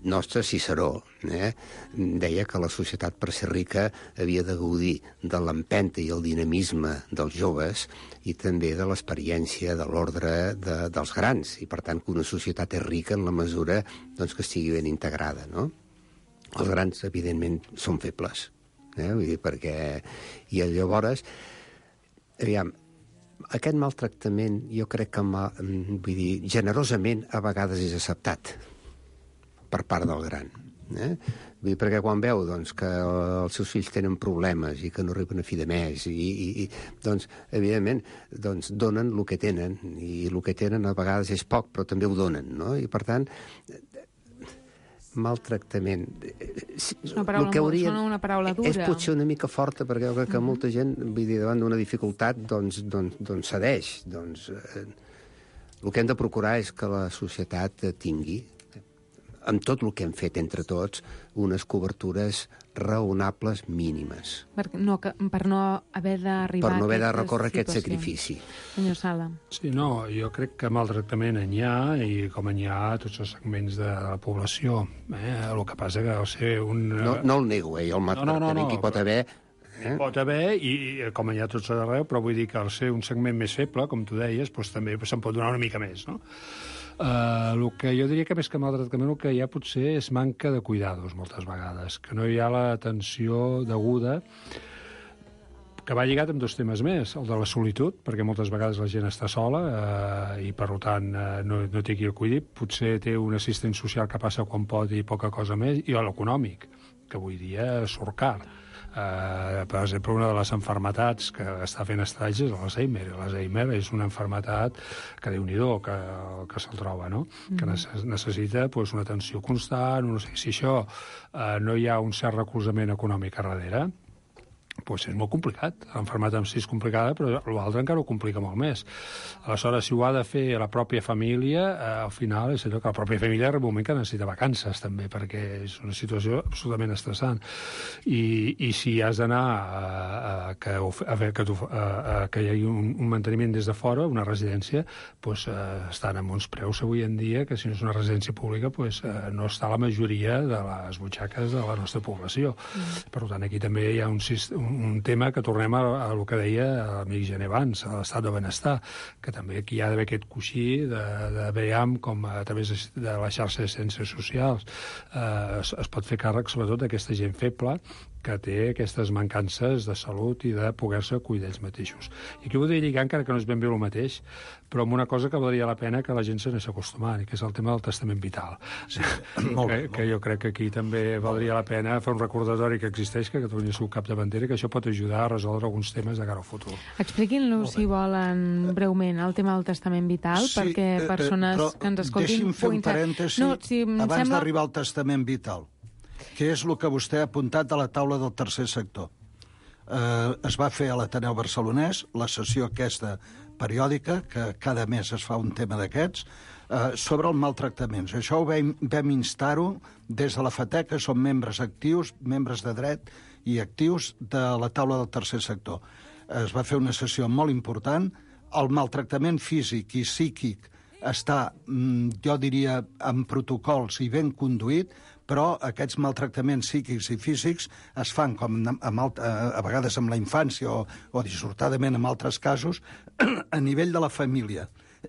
nostre, Ciceró, eh, deia que la societat, per ser rica, havia de gaudir de l'empenta i el dinamisme dels joves i també de l'experiència de l'ordre de, dels grans. I, per tant, que una societat és rica en la mesura doncs, que estigui ben integrada, no? Els grans, evidentment, són febles, eh? Vull dir, perquè... I llavors, aviam, aquest maltractament, jo crec que, vull dir, generosament, a vegades és acceptat per part del gran. Eh? Vull dir, perquè quan veu doncs, que els seus fills tenen problemes i que no arriben a fi de mes, i, i, i doncs, evidentment, doncs, donen el que tenen, i el que tenen a vegades és poc, però també ho donen, no? I, per tant, maltractament. És una paraula, que hauria... sona una paraula dura. És potser una mica forta, perquè jo crec que molta gent, vull dir, davant d'una dificultat, doncs, doncs, doncs cedeix. Doncs, eh, el que hem de procurar és que la societat tingui, amb tot el que hem fet entre tots, unes cobertures raonables mínimes. Per no, per no haver d'arribar Per no haver de aquestes recórrer aquest situacions. sacrifici. Senyor Sala. Sí, no, jo crec que maltractament n'hi ha, i com n'hi ha a tots els segments de la població. Eh? El que passa que deu ser un... No, no el nego, eh? El maltractament no, no, no, que hi pot haver... Eh? Pot haver, i, i com hi ha tots arreu, però vull dir que al ser un segment més feble, com tu deies, doncs també se'n pot donar una mica més, no? Uh, el que jo diria que més que maltractament el que hi ha potser és manca de cuidados moltes vegades, que no hi ha l'atenció deguda, que va lligat amb dos temes més, el de la solitud, perquè moltes vegades la gent està sola eh, i per tant eh, no, no té qui el cuidi, potser té un assistent social que passa quan pot i poca cosa més, i l'econòmic, que avui dia surt car. Uh, per exemple, una de les malalties que està fent estralls és l'Alzheimer. L'Alzheimer és una malaltia que, Déu-n'hi-do, que, que se'l troba, no? Mm. Que necessita pues, una atenció constant, no sé, si això uh, no hi ha un cert recolzament econòmic a darrere, pues és molt complicat. L'enfermetat en si és complicada, però l'altre encara ho complica molt més. Aleshores, si ho ha de fer la pròpia família, eh, al final és allò que la pròpia família arriba un moment que necessita vacances, també, perquè és una situació absolutament estressant. I, i si has d'anar a, a, que, a, que, tu, a, a, que hi hagi un, un manteniment des de fora, una residència, pues, eh, estan amb uns preus avui en dia que si no és una residència pública pues, eh, no està la majoria de les butxaques de la nostra població. Mm. Per tant, aquí també hi ha un sistema un tema que tornem a, a el que deia l'amic Gené abans, a l'estat de benestar, que també aquí hi ha d'haver aquest coixí de, de veiem com a través de la xarxa de ciències socials eh, es, es pot fer càrrec sobretot d'aquesta gent feble que té aquestes mancances de salut i de poder-se cuidar ells mateixos. I aquí voldria lligar, encara que no és ben bé el mateix, però amb una cosa que valdria la pena que la gent se n'és acostumant, i que és el tema del testament vital. Sí, molt, que, molt. que jo crec que aquí també valdria la pena fer un recordatori que existeix, que Catalunya és un capdavantera, que això pot ajudar a resoldre alguns temes de cara al futur. Expliquin-nos, si volen, breument, el tema del testament vital, sí, perquè persones eh, que ens escoltin... Deixi'm fer un parèntesi no, si abans sembla... d'arribar al testament vital, que és el que vostè ha apuntat a la taula del tercer sector. Eh, es va fer a l'Ateneu Barcelonès, la sessió aquesta periòdica, que cada mes es fa un tema d'aquests, eh, sobre els maltractaments. Això ho vam, vam instar-ho des de la FATEC, que som membres actius, membres de dret i actius de la taula del tercer sector. Es va fer una sessió molt important. El maltractament físic i psíquic està, jo diria, amb protocols i ben conduït, però aquests maltractaments psíquics i físics es fan, com amb alt, a vegades amb la infància o, o dissortadament en altres casos, a nivell de la família.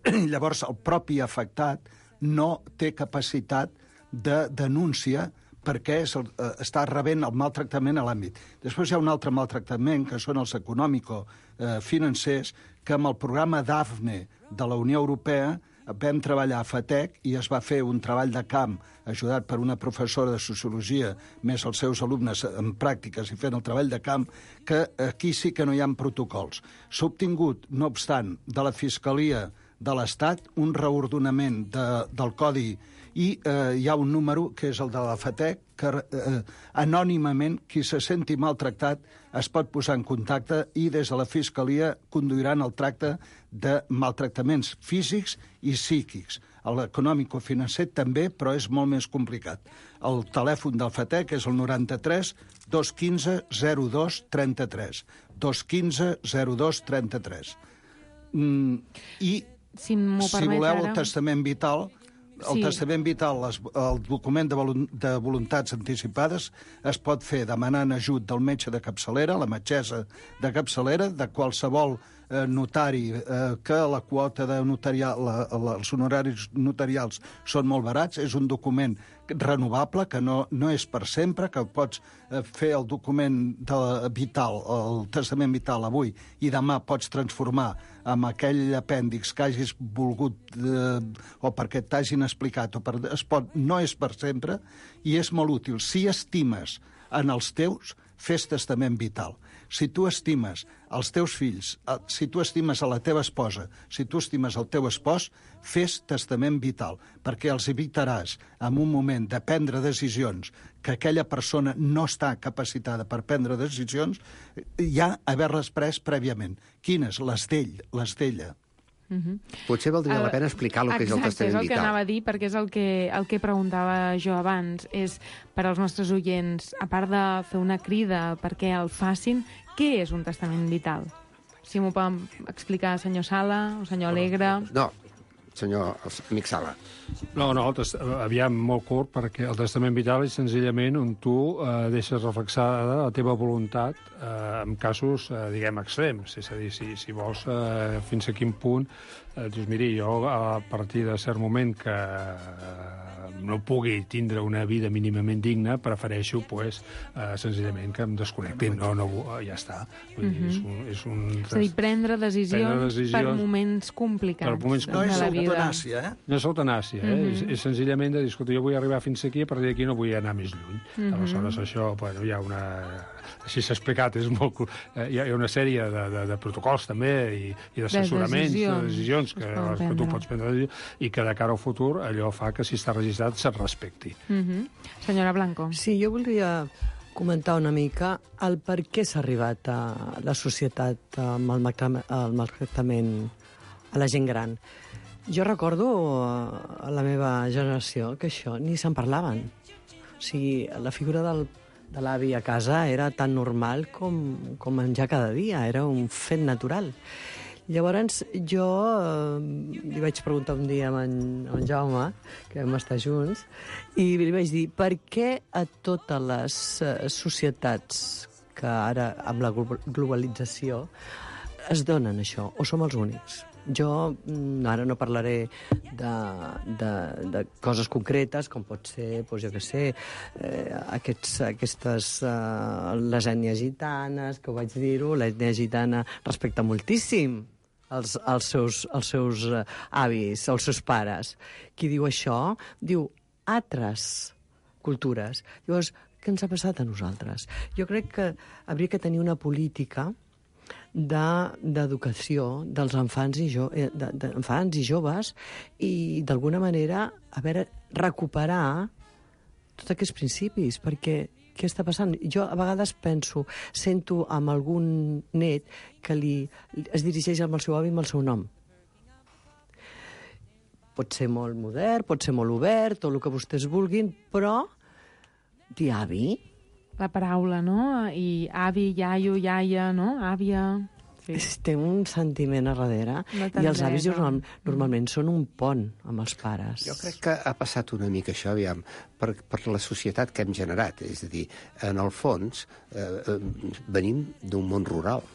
Llavors, el propi afectat no té capacitat de denúncia perquè és el, eh, està rebent el maltractament a l'àmbit. Després hi ha un altre maltractament, que són els econòmico-financers, que amb el programa DAFNE de la Unió Europea vam treballar a FATEC i es va fer un treball de camp ajudat per una professora de sociologia, més els seus alumnes en pràctiques i fent el treball de camp, que aquí sí que no hi ha protocols. S'ha obtingut, no obstant, de la Fiscalia de l'Estat un reordonament de, del codi i eh, hi ha un número, que és el de la FATEC, que eh, anònimament qui se senti maltractat es pot posar en contacte i des de la Fiscalia conduiran el tracte de maltractaments físics i psíquics. L'econòmico-financer també, però és molt més complicat. El telèfon del FATEC és el noranta-tres dos quinze zero dos trenta-tres. dos quinze zero dos trenta-tres. Mm, I, si, si voleu, ara... el testament vital... El sí. testament vital, les, el document de, volun, de voluntats anticipades, es pot fer demanant ajut del metge de capçalera, la metgessa de capçalera, de qualsevol eh, notari, eh, que la quota de notarial, la, la, els honoraris notarials són molt barats. És un document renovable, que no, no és per sempre, que pots eh, fer el document de, vital, el testament vital avui, i demà pots transformar amb aquell apèndix que hagis volgut eh, o perquè t'hagin explicat, o per, es pot, no és per sempre, i és molt útil. Si estimes en els teus, fes testament vital. Si tu estimes els teus fills, si tu estimes a la teva esposa, si tu estimes el teu espòs, fes testament vital, perquè els evitaràs en un moment de prendre decisions que aquella persona no està capacitada per prendre decisions, ja haver-les pres prèviament. Quines? Les d'ell, les d'ella. Uh-huh. Potser valdria la pena explicar el que Exacte, és el testament vital. és el que anava a dir, perquè és el que, el que preguntava jo abans. És, per als nostres oients, a part de fer una crida perquè el facin, què és un testament vital? Si m'ho poden explicar senyor Sala o senyor Alegre. No, senyor amic Sala. No, no, aviam, molt curt, perquè el testament vital és senzillament on tu eh, deixes reflexada la teva voluntat eh, en casos, eh, diguem, extrems. És a dir, si, si vols eh, fins a quin punt eh, dius, miri, jo a partir de cert moment que eh, no pugui tindre una vida mínimament digna, prefereixo, pues, eh, senzillament que em desconnectin. No, no, ja està. Vull dir, és un, és un... És a dir, prendre decisions, prendre decisions per moments complicats. Per moments no és eutanàsia, eh? No és eutanàsia. Eh? Mm -hmm. és, és senzillament de dir, escolta, jo vull arribar fins aquí, a partir d'aquí no vull anar més lluny. Mm -hmm. Aleshores, això, bueno, hi ha una... Així s'ha explicat, és molt... Eh, hi ha una sèrie de, de, de protocols, també, i, i d'assessoraments, de, de decisions que, que tu pots prendre, i que de cara al futur allò fa que, si està registrat, se't respecti. Mm -hmm. Senyora Blanco. Sí, jo voldria comentar una mica el per què s'ha arribat a la societat amb el maltractament a la gent gran. Jo recordo a la meva generació que això ni se'n parlaven. O sigui, la figura del, de l'avi a casa era tan normal com, com menjar cada dia, era un fet natural. Llavors, jo eh, li vaig preguntar un dia a en, a en Jaume, que vam estar junts, i li vaig dir, per què a totes les eh, societats que ara, amb la globalització, es donen això, o som els únics? Jo ara no parlaré de, de, de coses concretes, com pot ser, doncs jo què sé, eh, aquests, aquestes, eh, les ètnies gitanes, que ho vaig dir-ho, l'ètnia gitana respecta moltíssim els, els seus, els seus eh, avis, els seus pares. Qui diu això, diu altres cultures. Llavors, què ens ha passat a nosaltres? Jo crec que hauria que tenir una política d'educació de, dels infants i, jo, de, de, infants i joves i, d'alguna manera, a veure, recuperar tots aquests principis, perquè què està passant? Jo a vegades penso, sento amb algun net que li, es dirigeix amb el seu avi amb el seu nom. Pot ser molt modern, pot ser molt obert, tot el que vostès vulguin, però dir avi... La paraula, no? I avi, iaio, iaia, no? Àvia... Sí. Té un sentiment a darrere. I els avis normal, normalment són un pont amb els pares. Jo crec que ha passat una mica això, aviam, per, per la societat que hem generat. És a dir, en el fons, eh, venim d'un món rural.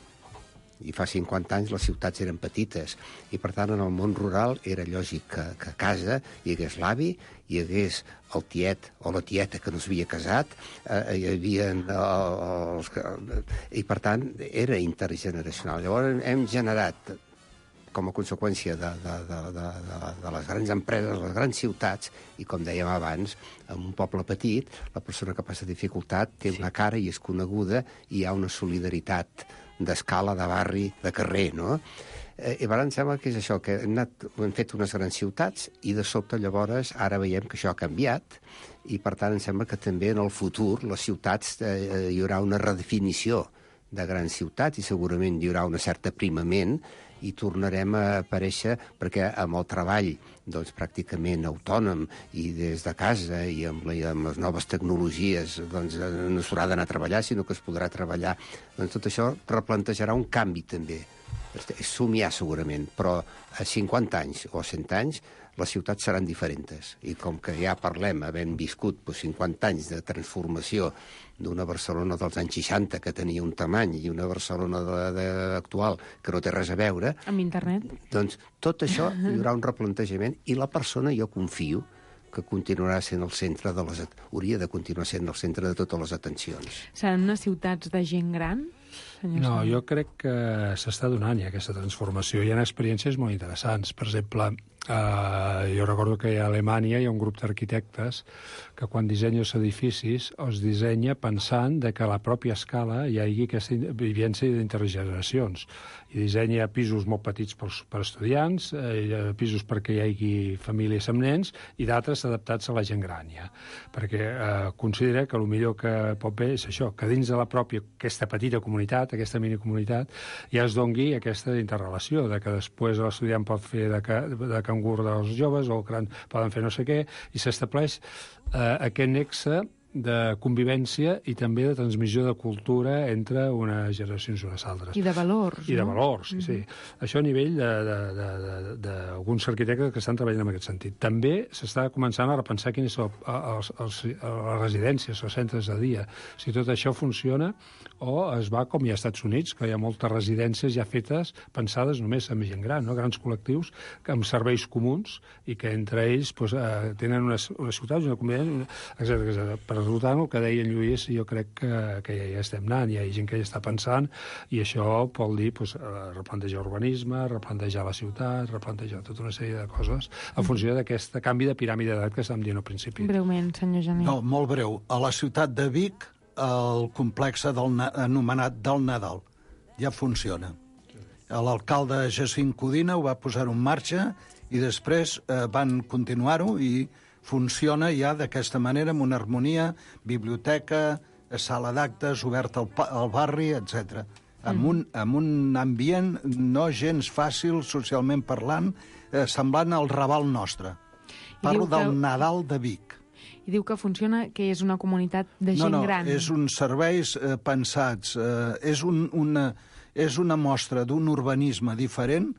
I fa cinquanta anys les ciutats eren petites. I, per tant, en el món rural era lògic que, que a casa hi hagués l'avi, hi hagués el tiet o la tieta que no s'havia casat, eh, hi havia els que... I, per tant, era intergeneracional. Llavors hem generat, com a conseqüència de, de, de, de, de, de les grans empreses, les grans ciutats, i com dèiem abans, en un poble petit, la persona que passa dificultat té una cara i és coneguda i hi ha una solidaritat d'escala, de barri, de carrer, no? I ara em sembla que és això, que hem, anat, hem fet unes grans ciutats i de sobte llavors ara veiem que això ha canviat i per tant em sembla que també en el futur les ciutats eh, hi haurà una redefinició de grans ciutats i segurament hi haurà una certa aprimament i tornarem a aparèixer perquè amb el treball doncs, pràcticament autònom i des de casa i amb, la, i amb les noves tecnologies doncs, no s'haurà d'anar a treballar sinó que es podrà treballar. Doncs tot això replantejarà un canvi també. És somiar segurament, però a cinquanta anys o a cent anys les ciutats seran diferents. I com que ja parlem, havent viscut doncs, cinquanta anys de transformació d'una Barcelona dels anys seixanta que tenia un tamany i una Barcelona de, de, actual que no té res a veure... Amb internet. Doncs tot això hi haurà un replantejament i la persona, jo confio, que continuarà sent el centre de les... hauria de continuar sent el centre de totes les atencions. Seran unes ciutats de gent gran? senyor? No, jo crec que s'està donant ja aquesta transformació. Hi ha experiències molt interessants. Per exemple, eh, jo recordo que a Alemanya hi ha un grup d'arquitectes que quan dissenya els edificis els dissenya pensant de que a la pròpia escala hi hagi aquesta vivència d'intergeneracions. I dissenya pisos molt petits per, per estudiants, eh, pisos perquè hi hagi famílies amb nens i d'altres adaptats a la gent gran, ja. Perquè eh, considera que el millor que pot bé és això, que dins de la pròpia, aquesta petita comunitat, aquesta minicomunitat, ja es dongui aquesta interrelació, de que després l'estudiant pot fer de, ca, de cangur dels joves o el gran poden fer no sé què, i s'estableix eh, aquest nexe de convivència i també de transmissió de cultura entre unes generacions i unes altres. I de valors, I de no? valors, sí, mm-hmm. sí. Això a nivell d'alguns arquitectes que estan treballant en aquest sentit. També s'està començant a repensar quines són els, els, les residències, els centres de dia. Si tot això funciona o es va com hi ha als Estats Units, que hi ha moltes residències ja fetes, pensades només amb gent gran, no? Grans col·lectius amb serveis comuns i que entre ells pues, eh, tenen unes, unes ciutats, una convivència, etcètera, etcètera. Per Per tant, el que deia en Lluís, jo crec que, que ja, ja estem anant, hi ha gent que ja està pensant, i això vol dir pues, replantejar urbanisme, replantejar la ciutat, replantejar tota una sèrie de coses en funció d'aquest canvi de piràmide d'edat que estàvem dient al principi. Breument, senyor Jané. No, molt breu. A la ciutat de Vic, el complex del, anomenat del Nadal ja funciona. L'alcalde Jacint Codina ho va posar en marxa i després eh, van continuar-ho i funciona ja d'aquesta manera, amb una harmonia, biblioteca, sala d'actes, oberta al, al barri, etcètera. Amb, un, amb un ambient no gens fàcil, socialment parlant, eh, semblant al Raval nostre. Parlo que... del Nadal de Vic. I diu que funciona, que és una comunitat de gent no, no, gran. No, és uns serveis eh, pensats, eh, és, un, una, és una mostra d'un urbanisme diferent,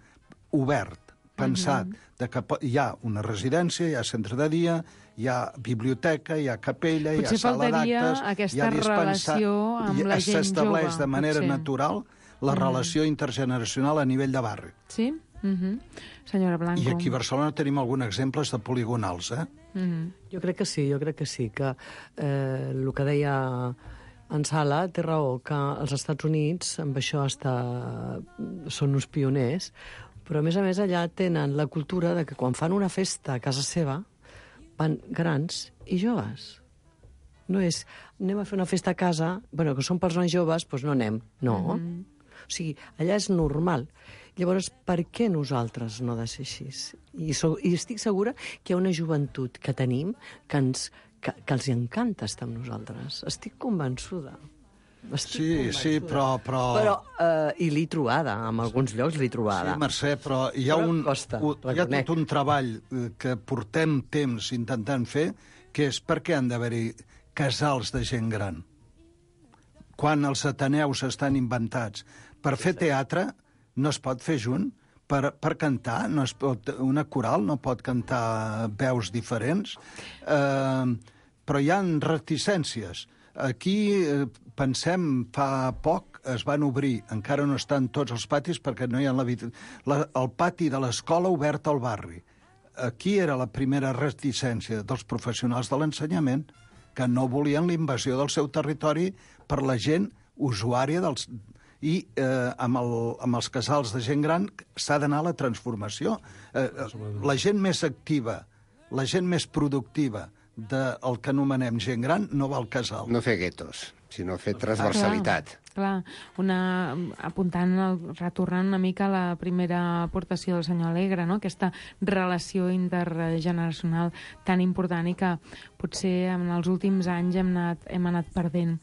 obert, pensat, uh-huh. de que hi ha una residència, hi ha centre de dia, hi ha biblioteca, hi ha capella, potser hi ha sala d'actes, hi ha relació amb la gent jove. S'estableix de manera potser. natural la relació uh-huh. intergeneracional a nivell de barri. Sí? Uh-huh. Senyora Blanco. I aquí a Barcelona tenim alguns exemples de poligonals, eh? Uh-huh. Jo crec que sí, jo crec que sí, que eh, el que deia en Sala té raó, que els Estats Units amb això està, són uns pioners, però a més a més allà tenen la cultura de que quan fan una festa a casa seva van grans i joves. No és, anem a fer una festa a casa, bueno, que són persones joves, doncs no anem. No. Mm-hmm. O sigui, allà és normal. Llavors, per què nosaltres no ha de ser així? I, so, i estic segura que hi ha una joventut que tenim que, ens, que, que els encanta estar amb nosaltres. Estic convençuda. Estic sí, convençuda. sí, però... Però, però uh, i l'he trobada, en alguns llocs l'he trobada. Sí, Mercè, però hi ha, però un, costa, un, hi ha tot un treball que portem temps intentant fer, que és per què han d'haver-hi casals de gent gran. Quan els ateneus estan inventats per fer teatre, no es pot fer junt. Per, per cantar, no es pot, una coral no pot cantar veus diferents, eh, però hi ha reticències. Aquí, eh, pensem, fa poc es van obrir, encara no estan tots els patis perquè no hi ha la, la, el pati de l'escola obert al barri. Aquí era la primera reticència dels professionals de l'ensenyament, que no volien la invasió del seu territori per la gent usuària dels... I eh, amb, el, amb els casals de gent gran s'ha d'anar a la transformació. Eh, la gent més activa, la gent més productiva del que anomenem gent gran no va al casal. No fer guetos, sinó fer transversalitat. Clar, clar. Una, apuntant, retornant una mica a la primera aportació del senyor Alegre, no? Aquesta relació intergeneracional tan important i que potser en els últims anys hem anat, hem anat perdent.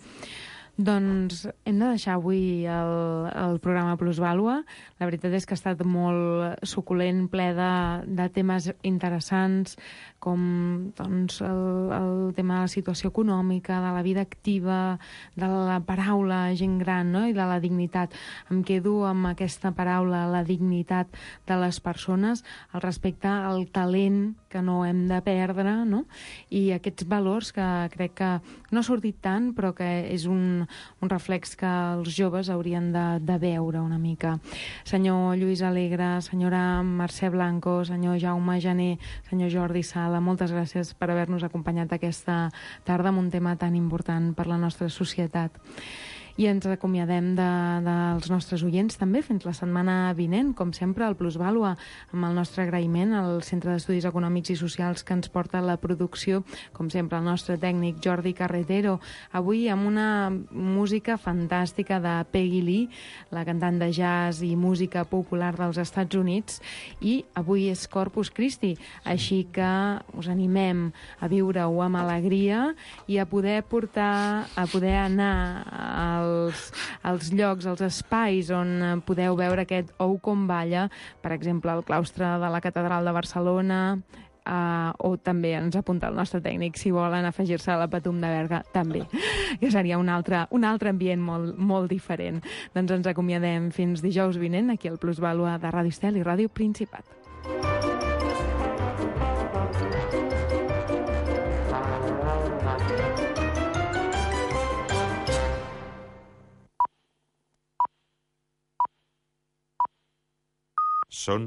Doncs hem de deixar avui el, el programa Plusvàlua. La veritat és que ha estat molt suculent, ple de, de temes interessants, com doncs, el, el tema de la situació econòmica, de la vida activa, de la paraula gent gran, no? I de la dignitat. Em quedo amb aquesta paraula, la dignitat de les persones, el respecte al talent que no hem de perdre, no? I aquests valors que crec que no ha sortit tant, però que és un, un reflex que els joves haurien de, de veure una mica. Senyor Lluís Alegre, senyora Mercè Blanco, senyor Jaume Jané, senyor Jordi Sala, moltes gràcies per haver-nos acompanyat aquesta tarda amb un tema tan important per la nostra societat. I ens acomiadem de, dels nostres oients també fins la setmana vinent, com sempre, al Plusvàlua, amb el nostre agraïment al Centre d'Estudis Econòmics i Socials que ens porta la producció, com sempre, el nostre tècnic Jordi Carretero, avui amb una música fantàstica de Peggy Lee, la cantant de jazz i música popular dels Estats Units, i avui és Corpus Christi, així que us animem a viure-ho amb alegria i a poder portar, a poder anar als, als llocs, als espais on podeu veure aquest ou com balla, per exemple, al claustre de la Catedral de Barcelona, Uh, o també ens apunta el nostre tècnic si volen afegir-se a la Patum de Berga també, que seria un altre, un altre ambient molt, molt diferent. Doncs ens acomiadem fins dijous vinent aquí al Plusvàlua de Ràdio Estel i Ràdio Principat. Són